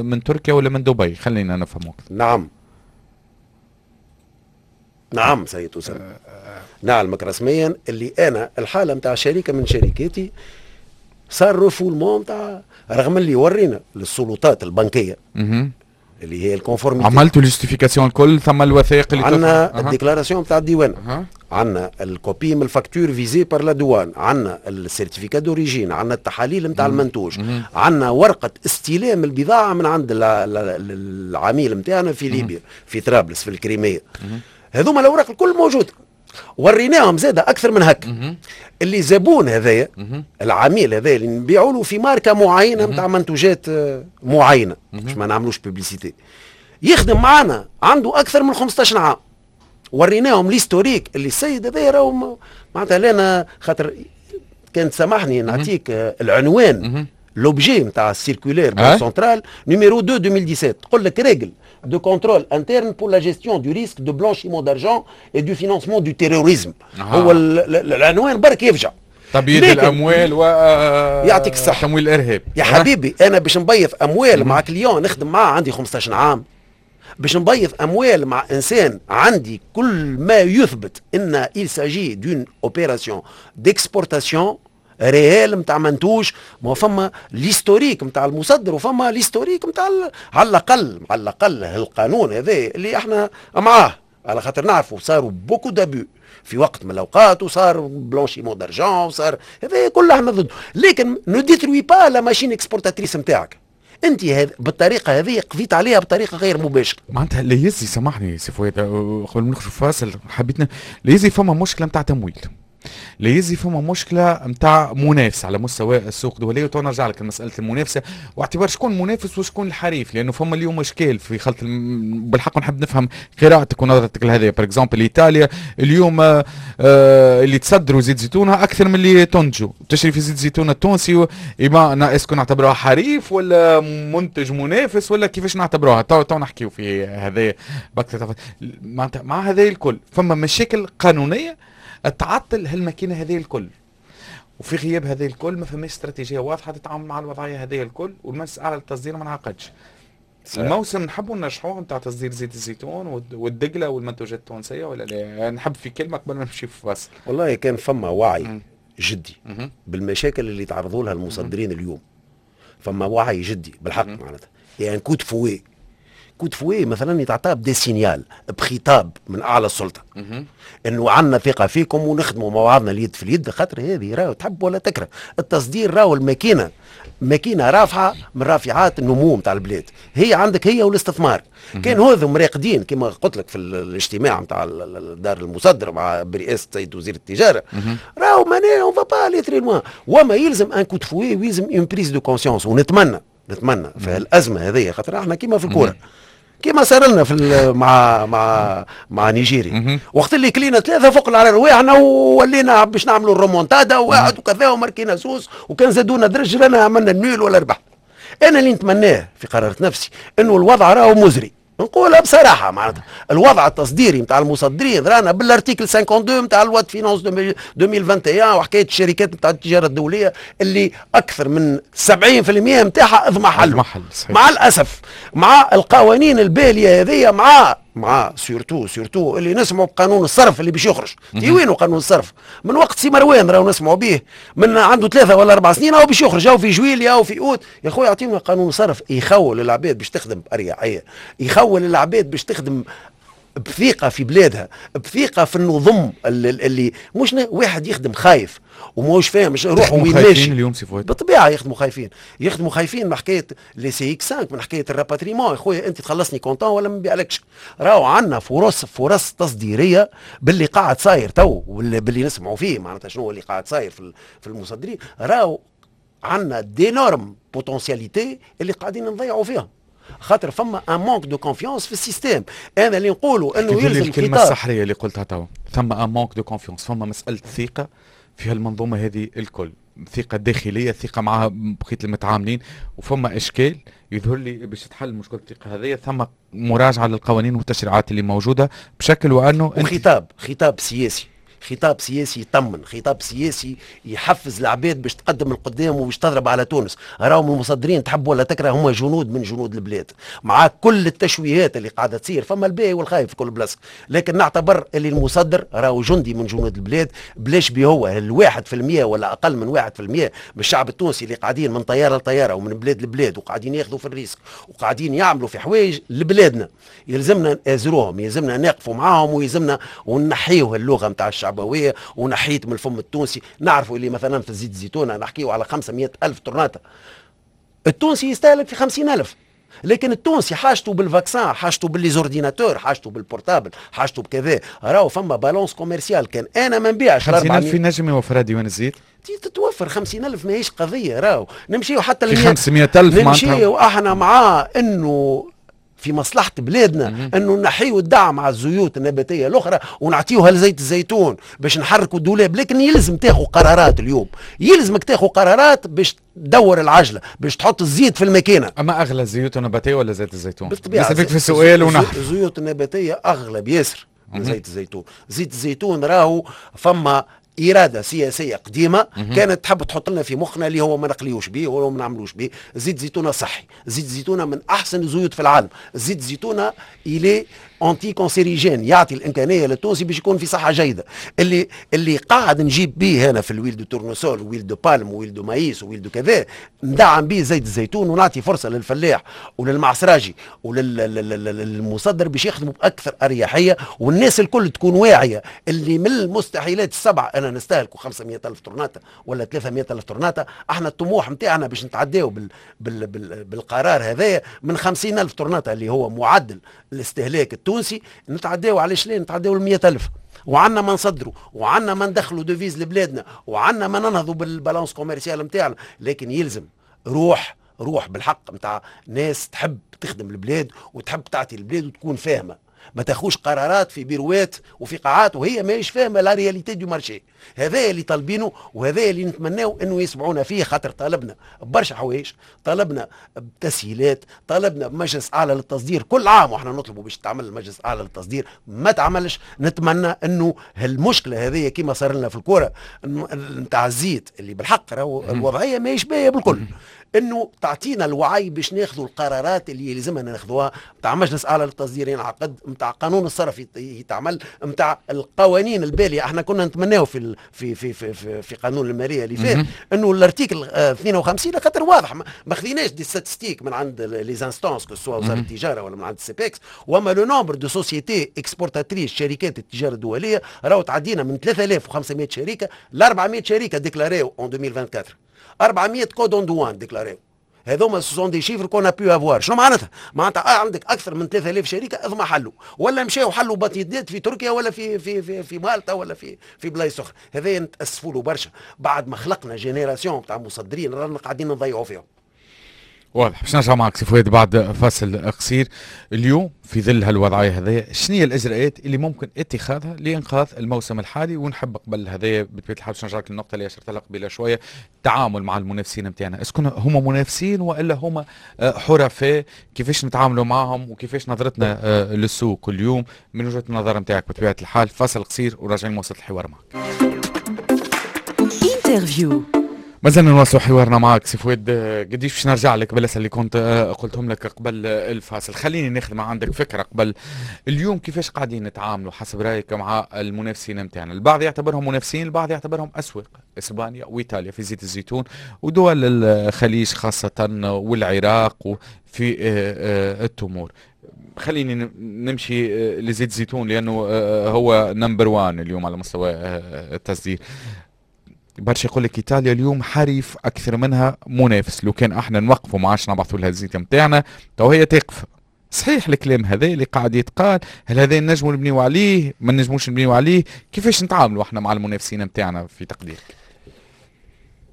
من تركيا ولا من دبي، خلينا نفهموك. نعم نعم سيد أسامة، نعلمك رسميا اللي أنا الحالة نتاع شركة من شركاتي صار refoulement نتاع، رغم اللي ورينا للسلطات البنكية اللي هي ال conformité، عملتوا ال justifications الكل، ثم الوثائق اللي عندنا ال déclaration نتاع الديوان، عندنا ال copie من ال facture visée par la douane، عندنا ال certificat d'origine، عندنا التحاليل نتاع المنتوج، عندنا ورقة استلام البضاعة من عند العميل نتاعنا في ليبيا في طرابلس في الكريميه. هذوما الاوراق الكل موجودة، وريناهم زاده اكثر من هكا. اللي زبون هذايا العميل هذايا اللي نبيعوا له في ماركة معينة نتاع منتوجات معينة باش ما نعملوش publicité، يخدم معنا عنده اكثر من خمسطاش عام، وريناهم l'historique اللي السيد هذايا راهو معناتها لنا، خاطر كان سامحني نعطيك العنوان l'objet نتاع ال circulaire banque centrale numéro اثنين ألفين وسبعطاش تقول لك règles de contrôle interne pour la gestion du risque de blanchiment d'argent et du financement du terrorisme. آه. هو العنوان برك يفجع. تبييض الاموال و يعطيك الصحة، تمويل الارهاب. يا حبيبي انا باش نبيض اموال مع client نخدم معاه عندي خمسطاش عام، باش نبيض اموال مع انسان عندي كل ما يثبت ان il s'agit d'une opération d'exportation réelle نتاع منتوج، ما فما l'historique نتاع المصدر وفما l'historique نتاع على الاقل على الاقل القانون هذا اللي احنا معاه، على خاطر نعرفوا صاروا beaucoup d'abus في وقت من الاوقات وصار blanchiment d'argent وصار هذا كله احنا ضده، لكن ne détruis pas la machine exportatrice نتاعك انت هذ... بالطريقة هذه قضيت عليها بطريقة غير مباشرة. معناتها لا يزي، سامحني سي فؤاد قبل ما نخرج فاصل حبيتنا، لا يزي فما مشكلة نتاع تمويل، لا يزي فما مشكلة نتاع منافسه على مستوى السوق الدولية، وتو نرجع لك لمسالة المنافسة واعتبار شكون المنافس وشكون الحريف، لانه فما اليوم اشكال في خلط الم... بالحق نحب نفهم قراءتك ونظرتك لهذا. par exemple ايطاليا اليوم آه اللي تصدروا زيت زيتونها اكثر من اللي تنتجوا، تشري في زيت زيتون التونسي، إما est-ce que نعتبروها حريف ولا منتج منافس ولا كيفاش نعتبروها؟ تو تو نحكيو في هذا باكثر. مع هذا الكل فما مشاكل قانونية تعطل هالماكينه هذه الكل، وفي غياب هذه الكل ما فماش استراتيجية واضحة تتعامل مع الوضعية هذه الكل، والمجلس الاعلى للتصدير ما انعقدش. الموسم نحبوا ننجحوه نتاع تصدير زيت الزيتون والدقله والمنتوجات التونسية ولا لا؟ نحب في كلمة قبل ما نمشي في فاصل. والله كان فما وعي م. جدي م. بالمشاكل اللي تعرضوا لها المصدرين اليوم، فما وعي جدي بالحق معناتها، يعني coup de fouet coup de fouet مثلا يتعطى ب des signaux بخطاب من اعلى السلطة انه عندنا ثقة فيكم ونخدموا مع بعضنا اليد في اليد، خاطر هذه راهو تحب ولا تكره التصدير راهو الماكينة ماكينة رافعه من رافعات النمو نتاع البلاد، هي عندك هي والاستثمار. كان هذم راقدين كما قلت لك في الاجتماع نتاع دار المصدر مع برئاسة سيد وزير التجارة، راهو معناها on va pas aller très loin، وما يلزم un coup de fouet ويلزم une prise de conscience. ونتمنى نتمنى في الازمة هذه، خاطر احنا كيما في الكورة كما صار لنا في مع مع مع نيجيريا وقت اللي كلينا ثلاثة فوق على رواحنا وولينا باش نعملوا الرومونتادا وواحد وكذا وماركينا زوز، وكان زادونا درج رانا عملنا ال nul ولا ربح. انا اللي نتمناه في قرارة نفسي انه الوضع راهو مزري، نقولها بصراحة معناتها الوضع التصديري نتاع المصدرين رانا بال article اثنين وخمسين نتاع loi de finances ألفين وواحد وعشرين وحكاية الشركات نتاع التجارة الدولية اللي اكثر من سبعين بالمئة نتاعها اضمحل مع الاسف، مع القوانين الباليه هذه، مع مع surtout surtout اللي نسمعوا بقانون الصرف اللي باش يخرج. تي وينو قانون الصرف؟ من وقت سي مروان راهو نسمعوا به من عنده ثلاثة ولا أربع سنين، أو باش يخرج أو في جويليا أو في أوت. يا خويا يعطينا قانون صرف يخول العباد باش تخدم بأريحية، يخول العباد باش تخدم بثقة في بلادها، بثقة في النظم اللي, اللي مش واحد يخدم خايف وماهوش فاهم روحه وين ماشي. اليوم سي فؤاد بالطبيعة يخدموا خايفين، يخدموا خايفين من حكاية les C X خمسة، من حكاية ال rapatriement. يا خويا انت تخلصني comptant ولا ما نبيعلكش. راهو عندنا فرص فرص تصديريه باللي قاعد صاير تو واللي نسمعوا فيه معناتها شنو اللي قاعد صاير في في المصدرين. راهو عندنا d'énormes potentialités اللي قاعدين نضيعوا فيهم. خاطر فما un manque de confiance في ال système. انا اللي نقولوا انه يلزم الكلمة السحريه اللي قلتها توا، ثم un manque de confiance، فما مسالة ثقة في هالمنظومه هذه الكل، ثقة داخلية، ثقة مع بقية المتعاملين، وفما إشكال يظهر لي باش تحل مشكلة الثقة هذه ثم مراجعة للقوانين والتشريعات اللي موجودة بشكل وأنه وخطاب خطاب سياسي، خطاب سياسي يطمن، خطاب سياسي يحفز العباد باش تقدم القدام وباش تضرب على تونس. راهم المصدرين تحب ولا تكره هما جنود من جنود البلاد، مع كل التشويهات اللي قاعدة تصير، فما الباهي والخايب في كل بلاصة، لكن نعتبر اللي المصدر راهو جندي من جنود البلاد. بلاش بيه هو الواحد في المية ولا اقل من واحد في المية من الشعب التونسي اللي قاعدين من طيارة لطياره ومن بلاد لبلاد وقاعدين ياخذوا في ال risque وقاعدين يعملوا في حوايج لبلادنا، يلزمنا نازروهم، يلزمنا نقفوا معاهم، ويلزمنا ونحيوه اللغة نتاع الشعبوية ونحيت من الفم التونسي. نعرفوا اللي مثلا في زيت الزيتون نحكيو على خمسمية ألف طرناطة، التونسي يستهلك في خمسين ألف، لكن التونسي حاجته بال vaccin، حاجته بال les ordinateurs، حاجته بال portable، حاجته بكذا. راهو فما balance commerciale، كان انا ما نبيعش خمسين ألف ينجم يوفرها ديوان الزيت؟ تتوفر خمسين ألف ماهيش قضية. راهو نمشيو حتى في خمسمية ألف نمشيو احنا مع انه في مصلحة بلادنا انه نحيو الدعم على الزيوت النباتية الاخرى ونعطيوها لزيت الزيتون باش نحركوا الدولاب، لكن يلزم تاخذ قرارات اليوم، يلزمك تاخذ قرارات باش تدور العجلة، باش تحط الزيت في الماكينة. اما اغلى الزيوت النباتية ولا زيت الزيتون؟ بالطبيعة نسألك في السؤال ونحن الزيوت النباتية اغلى بياسر من زيت الزيتون. زيت الزيتون راهو فما إرادة سياسية قديمة كانت تحب تحط لنا في مخنا اللي هو ما نقليوش به ولا ما نعملوش به. زيت زيتونة صحي، زيت زيتونة من أحسن الزيوت في العالم، زيت زيتونة il est anticancérigène، يعطي الإمكانية للتونسي باش يكون في صحة جيدة. اللي اللي قاعد نجيب به هنا في l'huile de tournesol، huile de palme، huile de maïs، huile de كذا، ندعم به زيت الزيتون ونعطي فرصة للفلاح وللمعصراجي وللمصدر باش يخدموا بأكثر أريحية، والناس الكل تكون واعية اللي من المستحيلات السبعة أنا نستهلكوا خمسمية ألف طرناطة ولا ثلاثمية ألف طرناطة. احنا الطموح نتاعنا باش نتعداو بال بال بال بالقرار هذايا من خمسين ألف طرناطة اللي هو معدل الاستهلاك التونسي نتعداو، علاش لا نتعداو ل مية ألف، وعندنا ما نصدروا وعندنا ما ندخلوا devises لبلادنا وعندنا ما ننهضوا بال balance commerciale نتاعنا. لكن يلزم روح روح بالحق نتاع ناس تحب تخدم البلاد وتحب تعطي البلاد وتكون فاهمه، ما تاخوش قرارات في بيروات وفي قاعات وهي ماهيش فاهمه la réalité du marché. هذا اللي طالبينه وهذا اللي نتمناو انه يسمعونا فيه، خاطر طالبنا برشا حوايج، طالبنا بتسهيلات، طالبنا بمجلس اعلى للتصدير، كل عام واحنا نطلبوا باش تعمل المجلس الاعلى للتصدير ما تعملش. نتمنى انه هالمشكلة هذه كما صار لنا في الكورة نتاع الزيت اللي بالحق راهو الوضعية ماهيش باهيه بالكل، انه تعطينا الوعي باش ناخذوا القرارات اللي يلزمنا ناخذوها نتاع مجلس اعلى للتصدير ينعقد، نتاع قانون الصرف يتعمل، نتاع القوانين الباليه. احنا كنا نتمناو في في في في, في, في قانون المالية اللي فات انه l'article اثنين وخمسين خاطر واضح ما خذيناش des statistiques من عند les instances que ce soit وزارة التجارة ولا من عند ال CEPEX، وما le nombre de sociétés exportatrices شركات التجارة الدولية راهو تعدينا من ثلاثة آلاف وخمسمية شركة ل أربعمية شركة déclarées en ألفين وأربعة وعشرين، أربعمية codes en douane déclarés. هذوما ce sont des chiffres qu'on a pu avoir. شنو معناتها؟ معناتها عندك اكثر من ثلاثة آلاف شركة اضمحلوا ولا مشاو حلوا باتيندات في تركيا ولا في في في, في مالطا ولا في في بلايص اخرى. هذا نتاسفوا له برشا، بعد ما خلقنا génération تاع مصدرين رانا قاعدين نضيعوا فيهم. واضح. باش نرجع معك سي فؤاد بعد فاصل قصير. اليوم في ظل هالوضعيه هذه شنو هي الاجراءات اللي ممكن اتخاذها لانقاذ الموسم الحالي؟ ونحب قبل هذايا بطبيعة الحال باش نرجع لك للنقطة اللي اشرت لها قبيلة شوية، التعامل مع المنافسين نتاعنا، est-ce que هما منافسين والا هما حرفاء؟ كيفاش نتعاملوا معهم وكيفاش نظرتنا للسوق كل يوم من وجهه النظر نتاعك بطبيعة الحال؟ فاصل قصير وراجعين نواصل الحوار معك. interview. مازلنا نواصلوا حوارنا معك سي فؤاد قديش. باش نرجع لك بالاسئلة اللي كنت قلتهم لك قبل الفاصل، خليني ناخذ ما عندك فكرة قبل. اليوم كيفاش قاعدين نتعاملوا حسب رايك مع المنافسين نتاعنا؟ البعض يعتبرهم منافسين، البعض يعتبرهم اسواق، اسبانيا وايطاليا في زيت الزيتون ودول الخليج خاصة والعراق في التمور. خليني نمشي لزيت الزيتون لانه هو number واحد اليوم على مستوى التصدير. برشا يقول لك ايطاليا اليوم حريف اكثر منها منافس، لو كان احنا نوقفوا ما عادش نبعثوا لها الزيت نتاعنا تو هي تقف. صحيح الكلام هذا اللي قاعد يتقال؟ هل هذا نجموا نبنيو عليه؟ ما نجموش نبنيو عليه؟ كيفاش نتعاملوا احنا مع المنافسين نتاعنا في تقديرك؟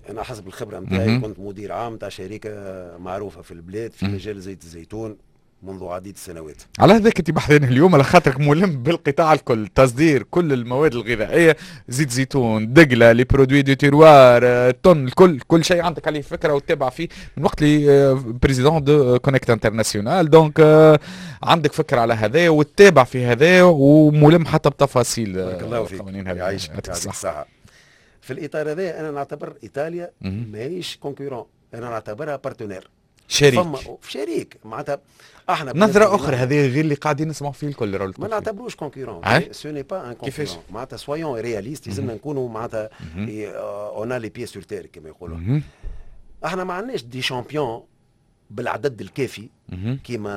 انا حسب الخبرة نتاعي كنت مدير عام تاع شركة معروفة في البلاد في مجال زيت الزيتون منذ عديد السنوات. على هذاك انت بحذانا اليوم على خاطرك ملم بالقطاع الكل، تصدير كل المواد الغذائيه، زيت زيتون، دقله، les produits du terroir، thon، الكل، كل شيء عندك عليه فكرة وتتابع فيه من وقت اللي président de Conect International، donc عندك فكرة على هذا وتتابع في هذا وملم حتى بتفاصيل. بارك الله فيك، يعيشك، يعطيك الصحه. في الاطار هذا انا نعتبر ايطاليا ماهيش concurrent، انا نعتبرها partenaire. شريك. فما شريك، معناتها احنا نظرة أخرى هذه غير اللي قاعدين نسمعوا فيه الكل. ما نعتبروش concurrent، ce n'est pas un concurrent، معناتها soyons réalistes، لازمنا نكونوا معناتها on a les pieds sur terre كما يقولوا. احنا ما عندناش des champions بالعدد الكافي كيما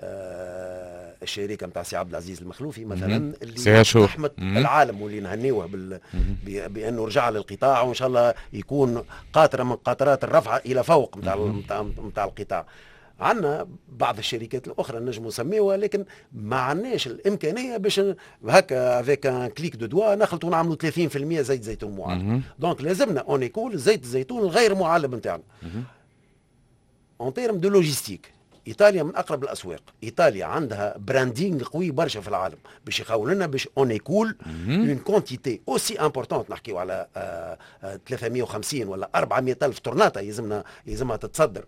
آه الشركة نتاع سي عبد العزيز المخلوفي مثلا اللي اقتحمت العالم واللي نهنيوه بال... بانه رجع للقطاع وان شاء الله يكون قاطره من قاطرات الرفعة الى فوق نتاع نتاع القطاع. عندنا بعض الشركات الاخرى نجم نسميوها، لكن ما عندناش الامكانية باش هكا avec un clic de doigts نخلطوا نعملوا ثلاثين في المية زيت زيتون معلب. donc لازمنا on écoule زيت الزيتون الغير معلب نتاعنا. en termes de logistique ايطاليا من اقرب الاسواق، ايطاليا عندها branding قوي برشا في العالم باش يخول لنا باش on écoule une quantité aussi importante. نحكيو على آه، آه، ثلاثمية وخمسين ولا أربعمية الف طرناطه يلزمنا يلزمها تتصدر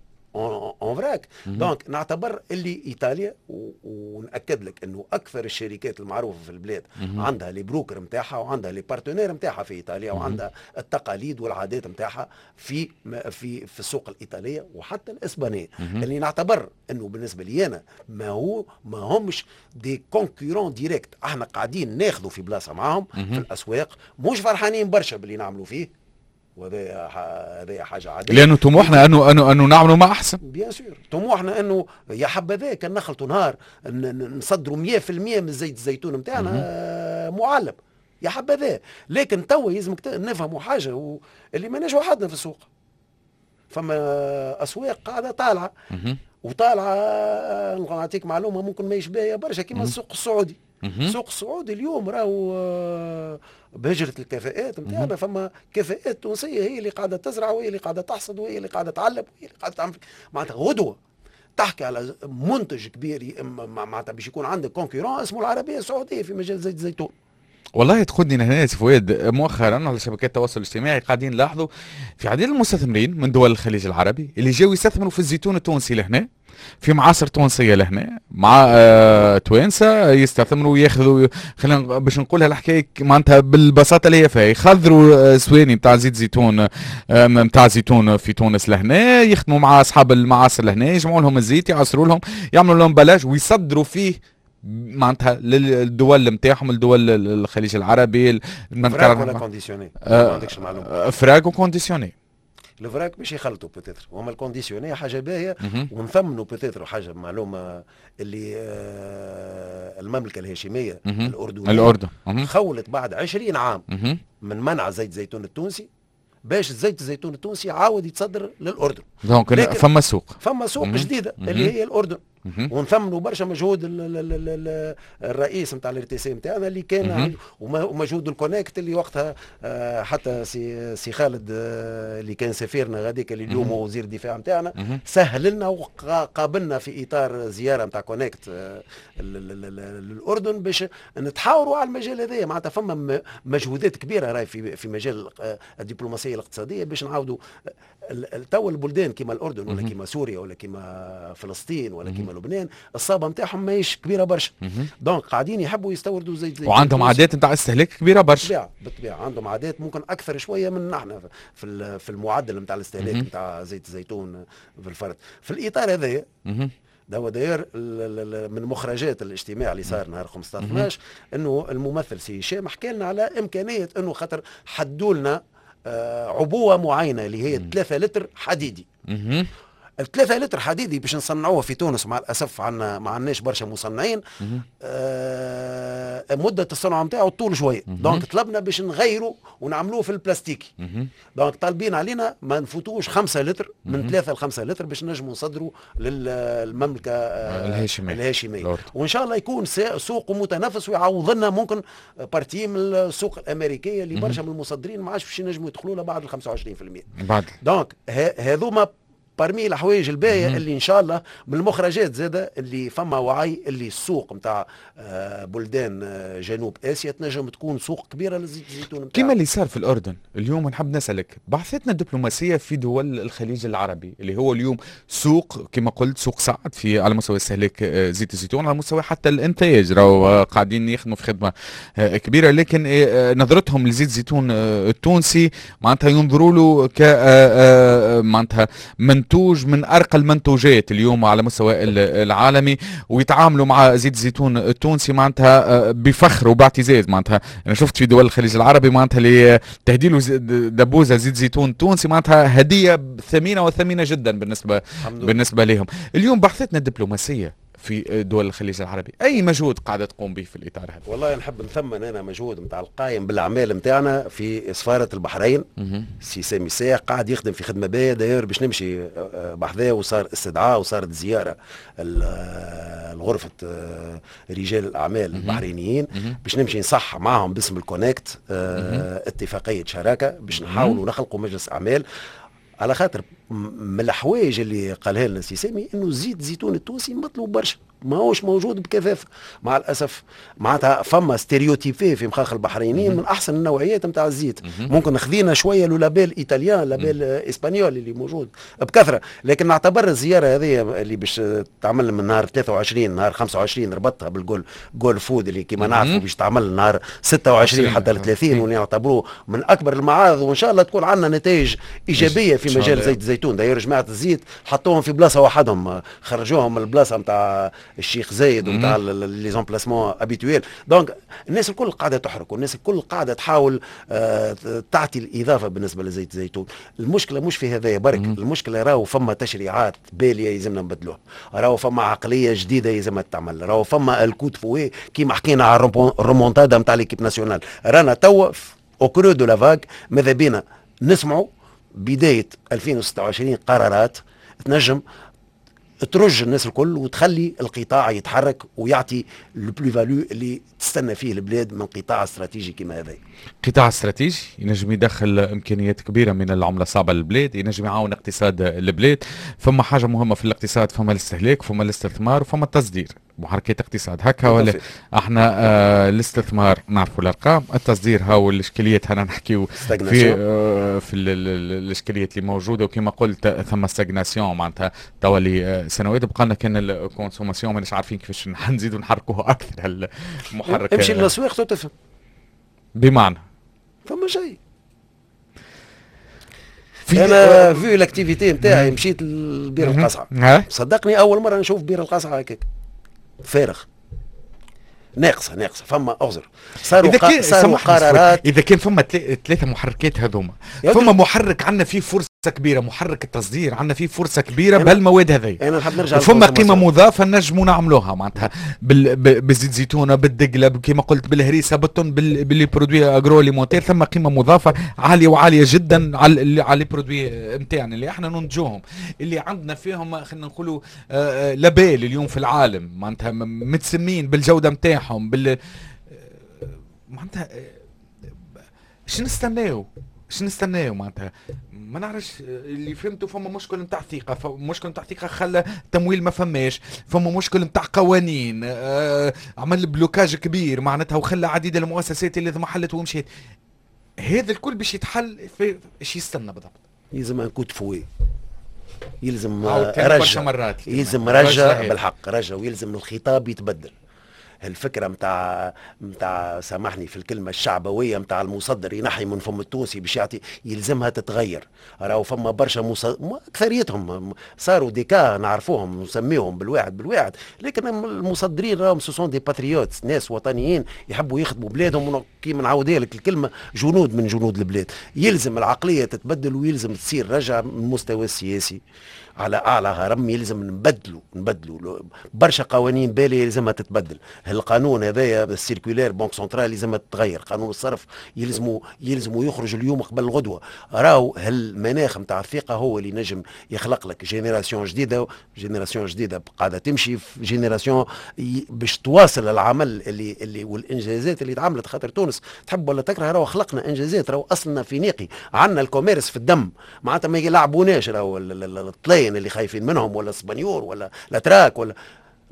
en vrac. donc نعتبر اللي ايطاليا، ونأكد لك انه اكثر الشركات المعروفة في البلاد عندها les brokers نتاعها وعندها les partenaires نتاعها في ايطاليا وعندها التقاليد والعادات نتاعها في في في السوق الايطالية وحتى الاسبانيه. اللي نعتبر انه بالنسبة لي انا ما هو ما همش des concurrents directs، احنا قاعدين ناخذوا في بلاصة معاهم في الاسواق، مش فرحانين برشا باللي نعملوا فيه، وهذا هذا حاجة عاديه. لانه طموحنا انه انه انه نعملوا ما احسن. bien sûr، طموحنا انه يا حبذا كان نخلطوا نهار نصدروا مية في المية من زيت الزيتون نتاعنا معلب، يا حبذا. لكن توا يلزمك نفهموا حاجه، اللي ماناش وحدنا في السوق، فما اسواق قاعدة طالعه وطالعه. نعطيك معلومة ممكن ما يشبه برشا، كيما السوق السعودي. السوق السعودي اليوم راهو آه، بهجرة الكفاءات نتاعنا، فما كفاءات تونسية هي اللي قاعدة تزرع وهي اللي قاعدة تحصد وهي اللي قاعدة تعلب وهي اللي قاعدة تعمل. معناتها غدوة تحكي على منتج كبير، معناتها باش يكون عندك concurrent اسمه العربية السعودية في مجال زيت الزيتون. والله تاخذني هنا سي فؤاد، مؤخرا على شبكات التواصل الاجتماعي قاعدين نلاحظوا في عديد المستثمرين من دول الخليج العربي اللي جاوا يستثمروا في الزيتون التونسي لهنا، في معاصر تونسية لهنا مع آه توانسة يستثمروا وياخذوا، خلينا باش نقولها الحكاية معناتها بالبساطة اللي هي فيها، يخضروا آه، سواني نتاع زيت زيتون نتاع آه زيتون في تونس لهنا، يخدموا مع اصحاب المعاصر لهنا، يجمعوا لهم الزيت، يعصروا لهم، يعملوا لهم emballage ويصدروا فيه معناتها للدول نتاعهم، الدول الخليج العربي. vrac ولا conditionné؟ ما عندكش المعلومه. vrac و conditionné. ال vrac باش يخلطوا peut-être، وهما ال conditionné حاجة باهيه ونثمنوا peut-être حاجه، معلومة اللي آه المملكة الهاشمية الاردنية الاردن خولت بعد عشرين عام من منع زيت زيتون التونسي باش زيت الزيتون التونسي عاود يتصدر للاردن. donc فما سوق. فما سوق جديدة اللي هي الاردن، ونثمنوا برشا مجهود الرئيس نتاع ال RTC نتاعنا اللي كان ومجهود ال CONECT اللي وقتها آه، حتى سي سي خالد آه، اللي كان سفيرنا غاديك اللي اليوم هو وزير الدفاع نتاعنا سهل لنا وقابلنا في اطار زيارة نتاع CONECT آه، للاردن باش نتحاوروا على المجال هذايا. معناتها فما مجهودات كبيرة راهي في في مجال الدبلوماسية الاقتصادية باش نعاودوا تو البلدان كما الاردن ولا كما سوريا ولا كما فلسطين ولا كما لبنان، الصابه نتاعهم ماهيش كبيرة برشا، donc قاعدين يحبوا يستوردوا زيت زيتون وعندهم عادات نتاع استهلاك كبيرة برشا. بالطبيعة بالطبيعة عندهم عادات ممكن اكثر شوية من نحن في في المعدل نتاع الاستهلاك نتاع زيت الزيتون في الفرد. في الاطار هذايا ده داير من مخرجات الاجتماع اللي صار نهار خمسطاش اثناش انه الممثل سي هشام حكى لنا على امكانية انه خاطر حدوا لنا آه، عبوة معينة اللي هي ثلاثة لتر حديدي. الثلاثة لتر حديدي باش نصنعوه في تونس، مع الاسف عندنا ما عندناش برشا مصنعين. آه مده الصنع نتاعو طول شويه، donc طلبنا باش نغيروا ونعملوه في البلاستيكي. donc طالبين علينا ما نفوتوش خمسة لتر، من ثلاثة ل خمسة لتر باش نجموا نصدروا للمملكة الهاشميه. الهاشميه، وان شاء الله يكون سوق متنافس ويعوض لنا ممكن partie من السوق الامريكية اللي برشا من المصدرين ما عادش باش ينجموا يدخلوا لها بعد ال خمسة وعشرين في المية. بعد. donc هذوما parmi الحوايج الباهيه اللي ان شاء الله من المخرجات زاده اللي فما وعي اللي السوق نتاع آه، بلدان آه، جنوب اسيا تنجم تكون سوق كبيرة لزيت الزيتون. كما اللي صار في الاردن. اليوم نحب نسالك، بعثتنا الدبلوماسية في دول الخليج العربي اللي هو اليوم سوق، كما قلت، سوق صعد في على مستوى استهلاك آه، زيت الزيتون، على مستوى حتى الانتاج راهو قاعدين يخدموا في خدمة كبيره، لكن نظرتهم لزيت الزيتون التونسي معناتها ينظروا له ك معناتها منتوج من ارقى المنتوجات اليوم على مستوى العالمي، ويتعاملوا مع زيت الزيتون التونسي معناتها آه، بفخر وباعتزاز. معناتها انا شفت في دول الخليج العربي معناتها اللي تهدي له دبوزه زيت زيتون تونسي معناتها هديه ثمينة وثمينه جدا بالنسبة بالنسبة لهم. اليوم بعثتنا الدبلوماسية في دول الخليج العربي، اي مجهود قاعدة تقوم به في الاطار هذا؟ والله نحب نثمن انا مجهود نتاع القائم بالاعمال نتاعنا في سفارة البحرين، سي سامي ساق، قاعد يخدم في خدمة باهيه. d'ailleurs باش نمشي آه، آه، بحذاه، وصار استدعاء وصارت زيارة آه، لغرفة رجال الاعمال البحرينيين باش نمشي نصح معهم باسم ال CONECT اتفاقية شراكة باش نحاولوا نخلقوا مجلس اعمال، على خاطر من الحوايج اللي قالها لنا سي سامي انه زيت زيتون التونسي مطلوب برشا، ماهوش موجود بكثافة مع الاسف. معناتها فما stéréotype في مخاخ البحرينيين من احسن النوعيات نتاع الزيت. ممكن خذينا شوية le label italien، label espagnol اللي موجود بكثره. لكن نعتبر الزيارة هذه اللي باش تعمل من نهار ثلاثة وعشرين نهار خمسة وعشرين، ربطها بال Gulf Gulfood اللي كما نعرفوا باش تعمل نهار ستة وعشرين حتى ل ثلاثين، ونعتبروه من اكبر المعارض، وان شاء الله تكون عندنا نتائج ايجابية في مجال زيت الزيتون. d'ailleurs جماعة الزيت حطوهم في بلاصة وحدهم، خرجوهم من البلاصة نتاع الشيخ زايد ونتاع les emplacements habituels. donc الناس الكل قاعدة تحرك والناس الكل قاعدة تحاول آه تعطي الاضافة بالنسبة لزيت الزيتون. المشكلة مش في هذايا برك، المشكلة راهو فما تشريعات باليه يلزمنا نبدلوها، راهو فما عقلية جديدة يلزمها تعمل، راهو فما ال coup de fouet كيما حكينا على الرومونتادا نتاع l'équipe nationale. رانا توا au creux de la vague، ماذا بينا نسمعوا بداية ألفين وستة وعشرين قرارات تنجم ترج الناس الكل وتخلي القطاع يتحرك ويعطي ال plus-value اللي تستنى فيه البلاد من قطاع استراتيجي كما هذا. قطاع استراتيجي ينجم يدخل امكانيات كبيرة من العملة الصعبة للبلاد، ينجم يعاون اقتصاد البلاد. فما حاجة مهمة في الاقتصاد، فما الاستهلاك، فما الاستثمار، وفما التصدير، محركات اقتصاد هكا ولا؟ احنا آه الاستثمار نعرفوا الارقام، التصدير هاو الاشكاليات، هنا نحكيو في آه في الاشكاليات اللي موجوده، وكما قلت ثم stagnation معناتها تولي آه سنوات. بقى لنا كان ال consommation، ماناش عارفين كيفاش نزيدوا نحركوه اكثر المحرك. امشي للاسواق تفهم. بمعنى؟ فما شيء. انا vu l'activité نتاعي مشيت لبير القصعه، صدقني اول مرة نشوف بير القصعه هكاك فارغ، ناقصه ناقصه. فما اعذر صاروا إذا كان صاروا قرارات. اذا كان فما ثلاثة محركات هذوما، فما محرك عندنا فيه فرصة كبيره، محرك التصدير عندنا فيه فرصة كبيرة بهالمواد هذه. انا نحب نرجع فما قيمة مضافة نجموا نعملوها معناتها بال... بالزيت زيتونه، بالدقله، كما قلت، بالهريسه، بالتن، بال les produits agroalimentaires. ثم قيمة مضافة عالية وعاليه جدا على على les produits نتاعنا اللي احنا ننتجوهم، اللي عندنا فيهم خلينا نقولوا آه، آه، label اليوم في العالم، معناتها متسمين بالجودة نتاعهم بال آه، معناتها شنو نستناو؟ شنو نستناو؟ معناتها ما نعرفش. اللي فهمته فما مشكل نتاع ثقه، مشكل نتاع ثقة خلى تمويل ما فماش، فما مشكل نتاع قوانين آه عمل blocage كبير معناتها وخلى عديد المؤسسات اللي اضمحلت ومشيت. هذا الكل باش يتحل في ايش يستنى بالضبط؟ يلزم un coup de fouet، يلزم رجع مرات، يلزم رجع بالحق رجع، ويلزم الخطاب يتبدل. الفكرة متاع متاع سامحني في الكلمه، الشعبوية متاع المصدر ينحي من فم التونسي باش يعطي، يلزمها تتغير. راهو فما برشا مص... اكثريتهم صاروا des cas نعرفوهم، نسميهم بالواحد بالواحد، لكن المصدرين راهم ce sont des patriotes، ناس وطنيين يحبوا يخدموا بلادهم، كيما نعاودها لك الكلمه، جنود من جنود البلاد. يلزم العقلية تتبدل ويلزم تصير رجعه من المستوى السياسي. على اعلى هرم. يلزم نبدلوا نبدلوا برشا قوانين بالي يلزمها تتبدل. القانون هذايا ال circulaire banque centrale يلزمها تتغير. قانون الصرف يلزموا يلزموا يخرج اليوم قبل الغدوه. راهو هالمناخ نتاع الثقة هو اللي نجم يخلق لك génération جديده، génération جديدة قاعدة تمشي في génération باش تواصل العمل اللي اللي والانجازات اللي تعملت. خاطر تونس تحب ولا تكره راهو خلقنا انجازات، راهو اصلنا فينيقي، عندنا ال commerce في الدم، معناتها ما يلعبوناش راهو الطلاين اللي خايفين منهم ولا الاسبانيور ولا الاتراك، ولا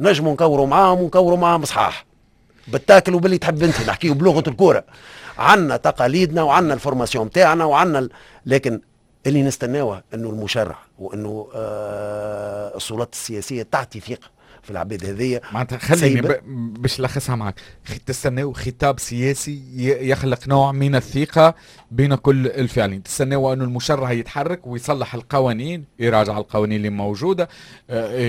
نجموا نكوروا معاهم ونكوروا معاهم صحاح بال tacle وباللي تحب انت، نحكيو بلغه الكوره. عندنا تقاليدنا وعندنا ال formation تاعنا وعندنا ال... لكن اللي نستناوه انه المشرع وانه آه السلطات السياسية تعطي ثقة في العباد هذيا. معناتها خليني باش نلخصها معك، تستناو خطاب سياسي يخلق نوع من الثقة بين كل الفاعلين، تستناو انه المشرع يتحرك ويصلح القوانين، يراجع القوانين اللي موجودة، آه،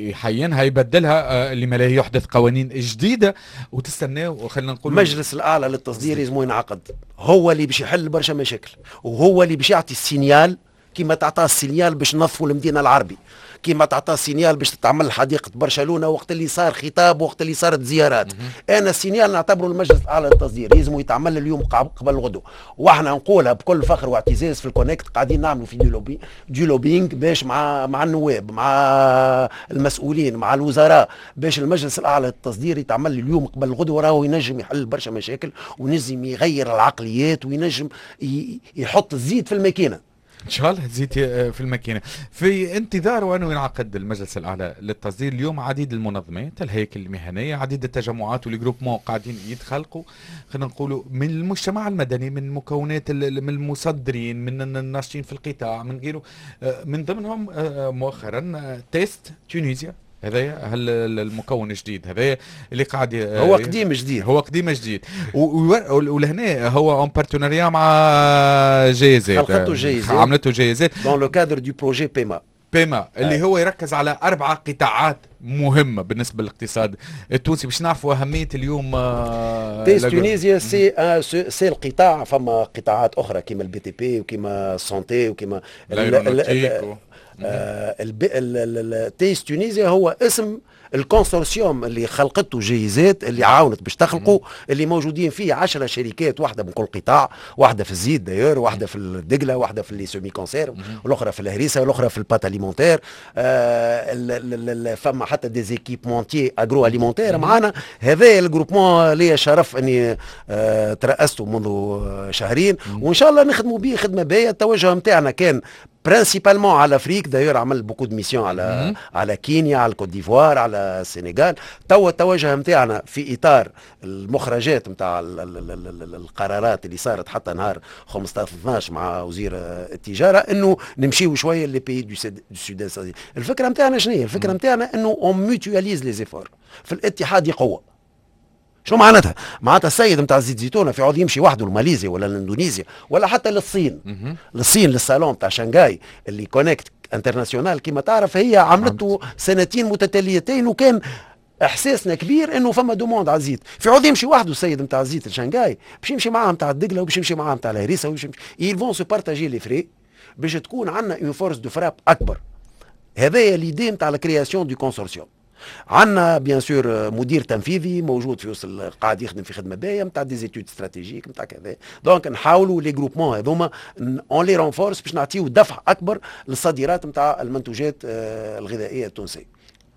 يحينها، يبدلها، آه، لما لا يحدث قوانين جديدة، وتستناو خلينا نقول المجلس الاعلى للتصدير لازم ينعقد، هو اللي باش يحل برشا مشاكل وهو اللي باش يعطي ال signal كيما تعطى ال signal باش نظفوا المدينة العربي، كيما تعطى signal باش تتعمل حديقة برشلونة وقت اللي صار خطاب وقت اللي صارت زيارات. انا ال signal نعتبره المجلس الاعلى للتصدير لازم يتعمل اليوم قبل الغدو، واحنا نقولها بكل فخر واعتزاز في ال CONECT قاعدين نعملوا في du lobby du lobbying باش مع مع النواب، مع المسؤولين، مع الوزراء، باش المجلس الاعلى للتصدير يتعمل اليوم قبل الغدو. راهو ينجم يحل برشا مشاكل وينجم يغير العقليات وينجم يحط الزيت في الماكينه. ان شاء الله تزيد آه، في الماكينه. في انتظار وانه ينعقد المجلس الاعلى للتصدير، اليوم عديد المنظمات، الهياكل المهنيه، عديد التجمعات وال groupements قاعدين يتخلقوا، خلينا نقولوا من المجتمع المدني، من مكونات، من المصدرين، من الناشطين في القطاع، من غيره، آه، من ضمنهم آه، مؤخرا Taste Tunisia. هذايا هل المكون الجديد هذايا اللي قاعد هو قديم جديد. هو قديم جديد، ولهنا هو en partenariat مع GIZ. خلقته GIZ. عملته GIZ dans le cadre du projet PEMA. PEMA اللي هو يركز على اربعة قطاعات مهمة بالنسبة للاقتصاد التونسي، باش نعرفوا اهمية اليوم. Taste Tunisia c'est c'est القطاع، فما قطاعات اخرى كيما ال BTP وكيما ال santé وكيما Taste Tunisia. هو اسم ال consortium اللي خلقته GIZ، اللي عاونت باش تخلقوا، اللي موجودين فيه عشرة شركات، واحدة من كل قطاع، واحدة في الزيت d'ailleurs، واحدة في الدقله، واحدة في les semi-conserves، والاخرى في الهريسه، والاخرى في ال pâtes alimentaires. آه فما حتى des équipementiers agroalimentaires معانا. هذا ال groupement لي شرف اني آه ترأسته منذ شهرين، وان شاء الله نخدموا به خدمة باهيه. التوجه نتاعنا كان principalement على l'Afrique، d'ailleurs عمل beaucoup de missions على على كينيا، على الكوت ديفوار، على السنغال. توا التوجه نتاعنا في اطار المخرجات نتاع القرارات اللي صارت حتى نهار خمسطاش اثناش مع وزير التجارة انه نمشيو شوية les pays du sud. الفكرة نتاعنا شنو هي؟ الفكرة نتاعنا انه on mutualise les efforts، في الاتحاد قوه. شو معناتها؟ معناتها السيد نتاع زيت زيتونه في عوض يمشي وحده لماليزيا ولا لاندونيسيا ولا حتى للصين، للصين للصالون تاع شنغاي اللي CONECT international كما تعرف هي عملته سنتين متتاليتين، وكان احساسنا كبير انه فما demande على الزيت. في عوض يمشي وحده السيد نتاع الزيت لشنغاي، باش يمشي معاه نتاع الدقله وباش يمشي معاه نتاع الهريسه وباش يمشي، ils vont se partager les frais باش تكون عندنا une force de frappe اكبر. هذايا l'idée نتاع la création du consortium. عندنا bien sûr مدير تنفيذي موجود في وسط، قاعد يخدم في خدمة باهيه نتاع des études stratégiques نتاع كذا. donc نحاولوا les groupements هذوما on les renforce باش نعطيو دفع اكبر للصادرات نتاع المنتوجات آه، الغذائية التونسيه.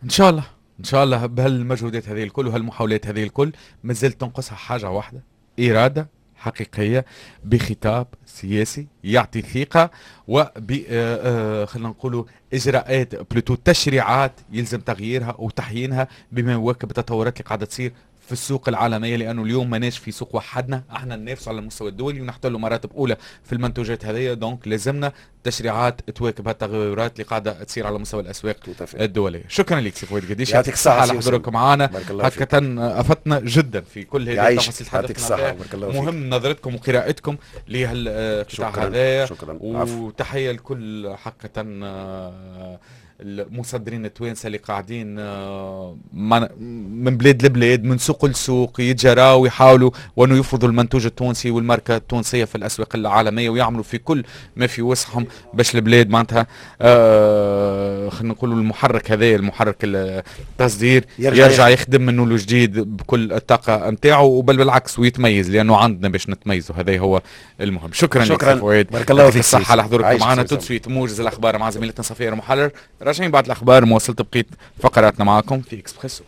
ان شاء الله، ان شاء الله بهالمجهودات هذه الكل وهالمحاولات هذه الكل مازالت تنقصها حاجة واحده، اراده حقيقية بخطاب سياسي يعطي ثقة وب آه، آه، خلينا نقولوا اجراءات، plutôt تشريعات يلزم تغييرها وتحيينها بما يواكب التطورات اللي قاعدة تصير في السوق العالميه، لانه اليوم ماناش في سوق وحدنا، احنا ننافس على المستوى الدولي ونحتل مراتب اولى في المنتوجات هذه، donc لازمنا تشريعات تواكب هالتغيرات اللي قاعدة تصير على مستوى الاسواق الدوليه. شكرا لك سي فؤاد قديش. يعطيك الصحة على حضورك معنا، هكذا افدتنا جدا في كل هذه التفاصيل. يعطيك الصحه، بارك الله فيك. مهم نظرتكم وقراءتكم لهالقطاع هذا. شكرا. وتحية لكل حقا آه، المصدرين التوانسة اللي قاعدين آه، من بلاد لبلاد، من سوق لسوق، يتجراوا ويحاولوا وانه يفرضوا المنتوج التونسي والماركه التونسية في الاسواق العالميه، ويعملوا في كل ما في وسعهم باش البلاد معناتها آه خلينا نقولوا المحرك هذا، المحرك التصدير، يرجع, يرجع يخدم منه جديد بكل الطاقة نتاعو، وبل بالعكس ويتميز، لانه عندنا باش نتميزوا، هذا هو المهم. شكرا. شكرا لك، بارك الله فيك. الصحة على حضورك معنا. tout de suite موجز الاخبار مع زميلتنا صفيه المحرر. راجعين بعد الاخبار مواصلة بقية فقراتنا معكم في اكسبريسو.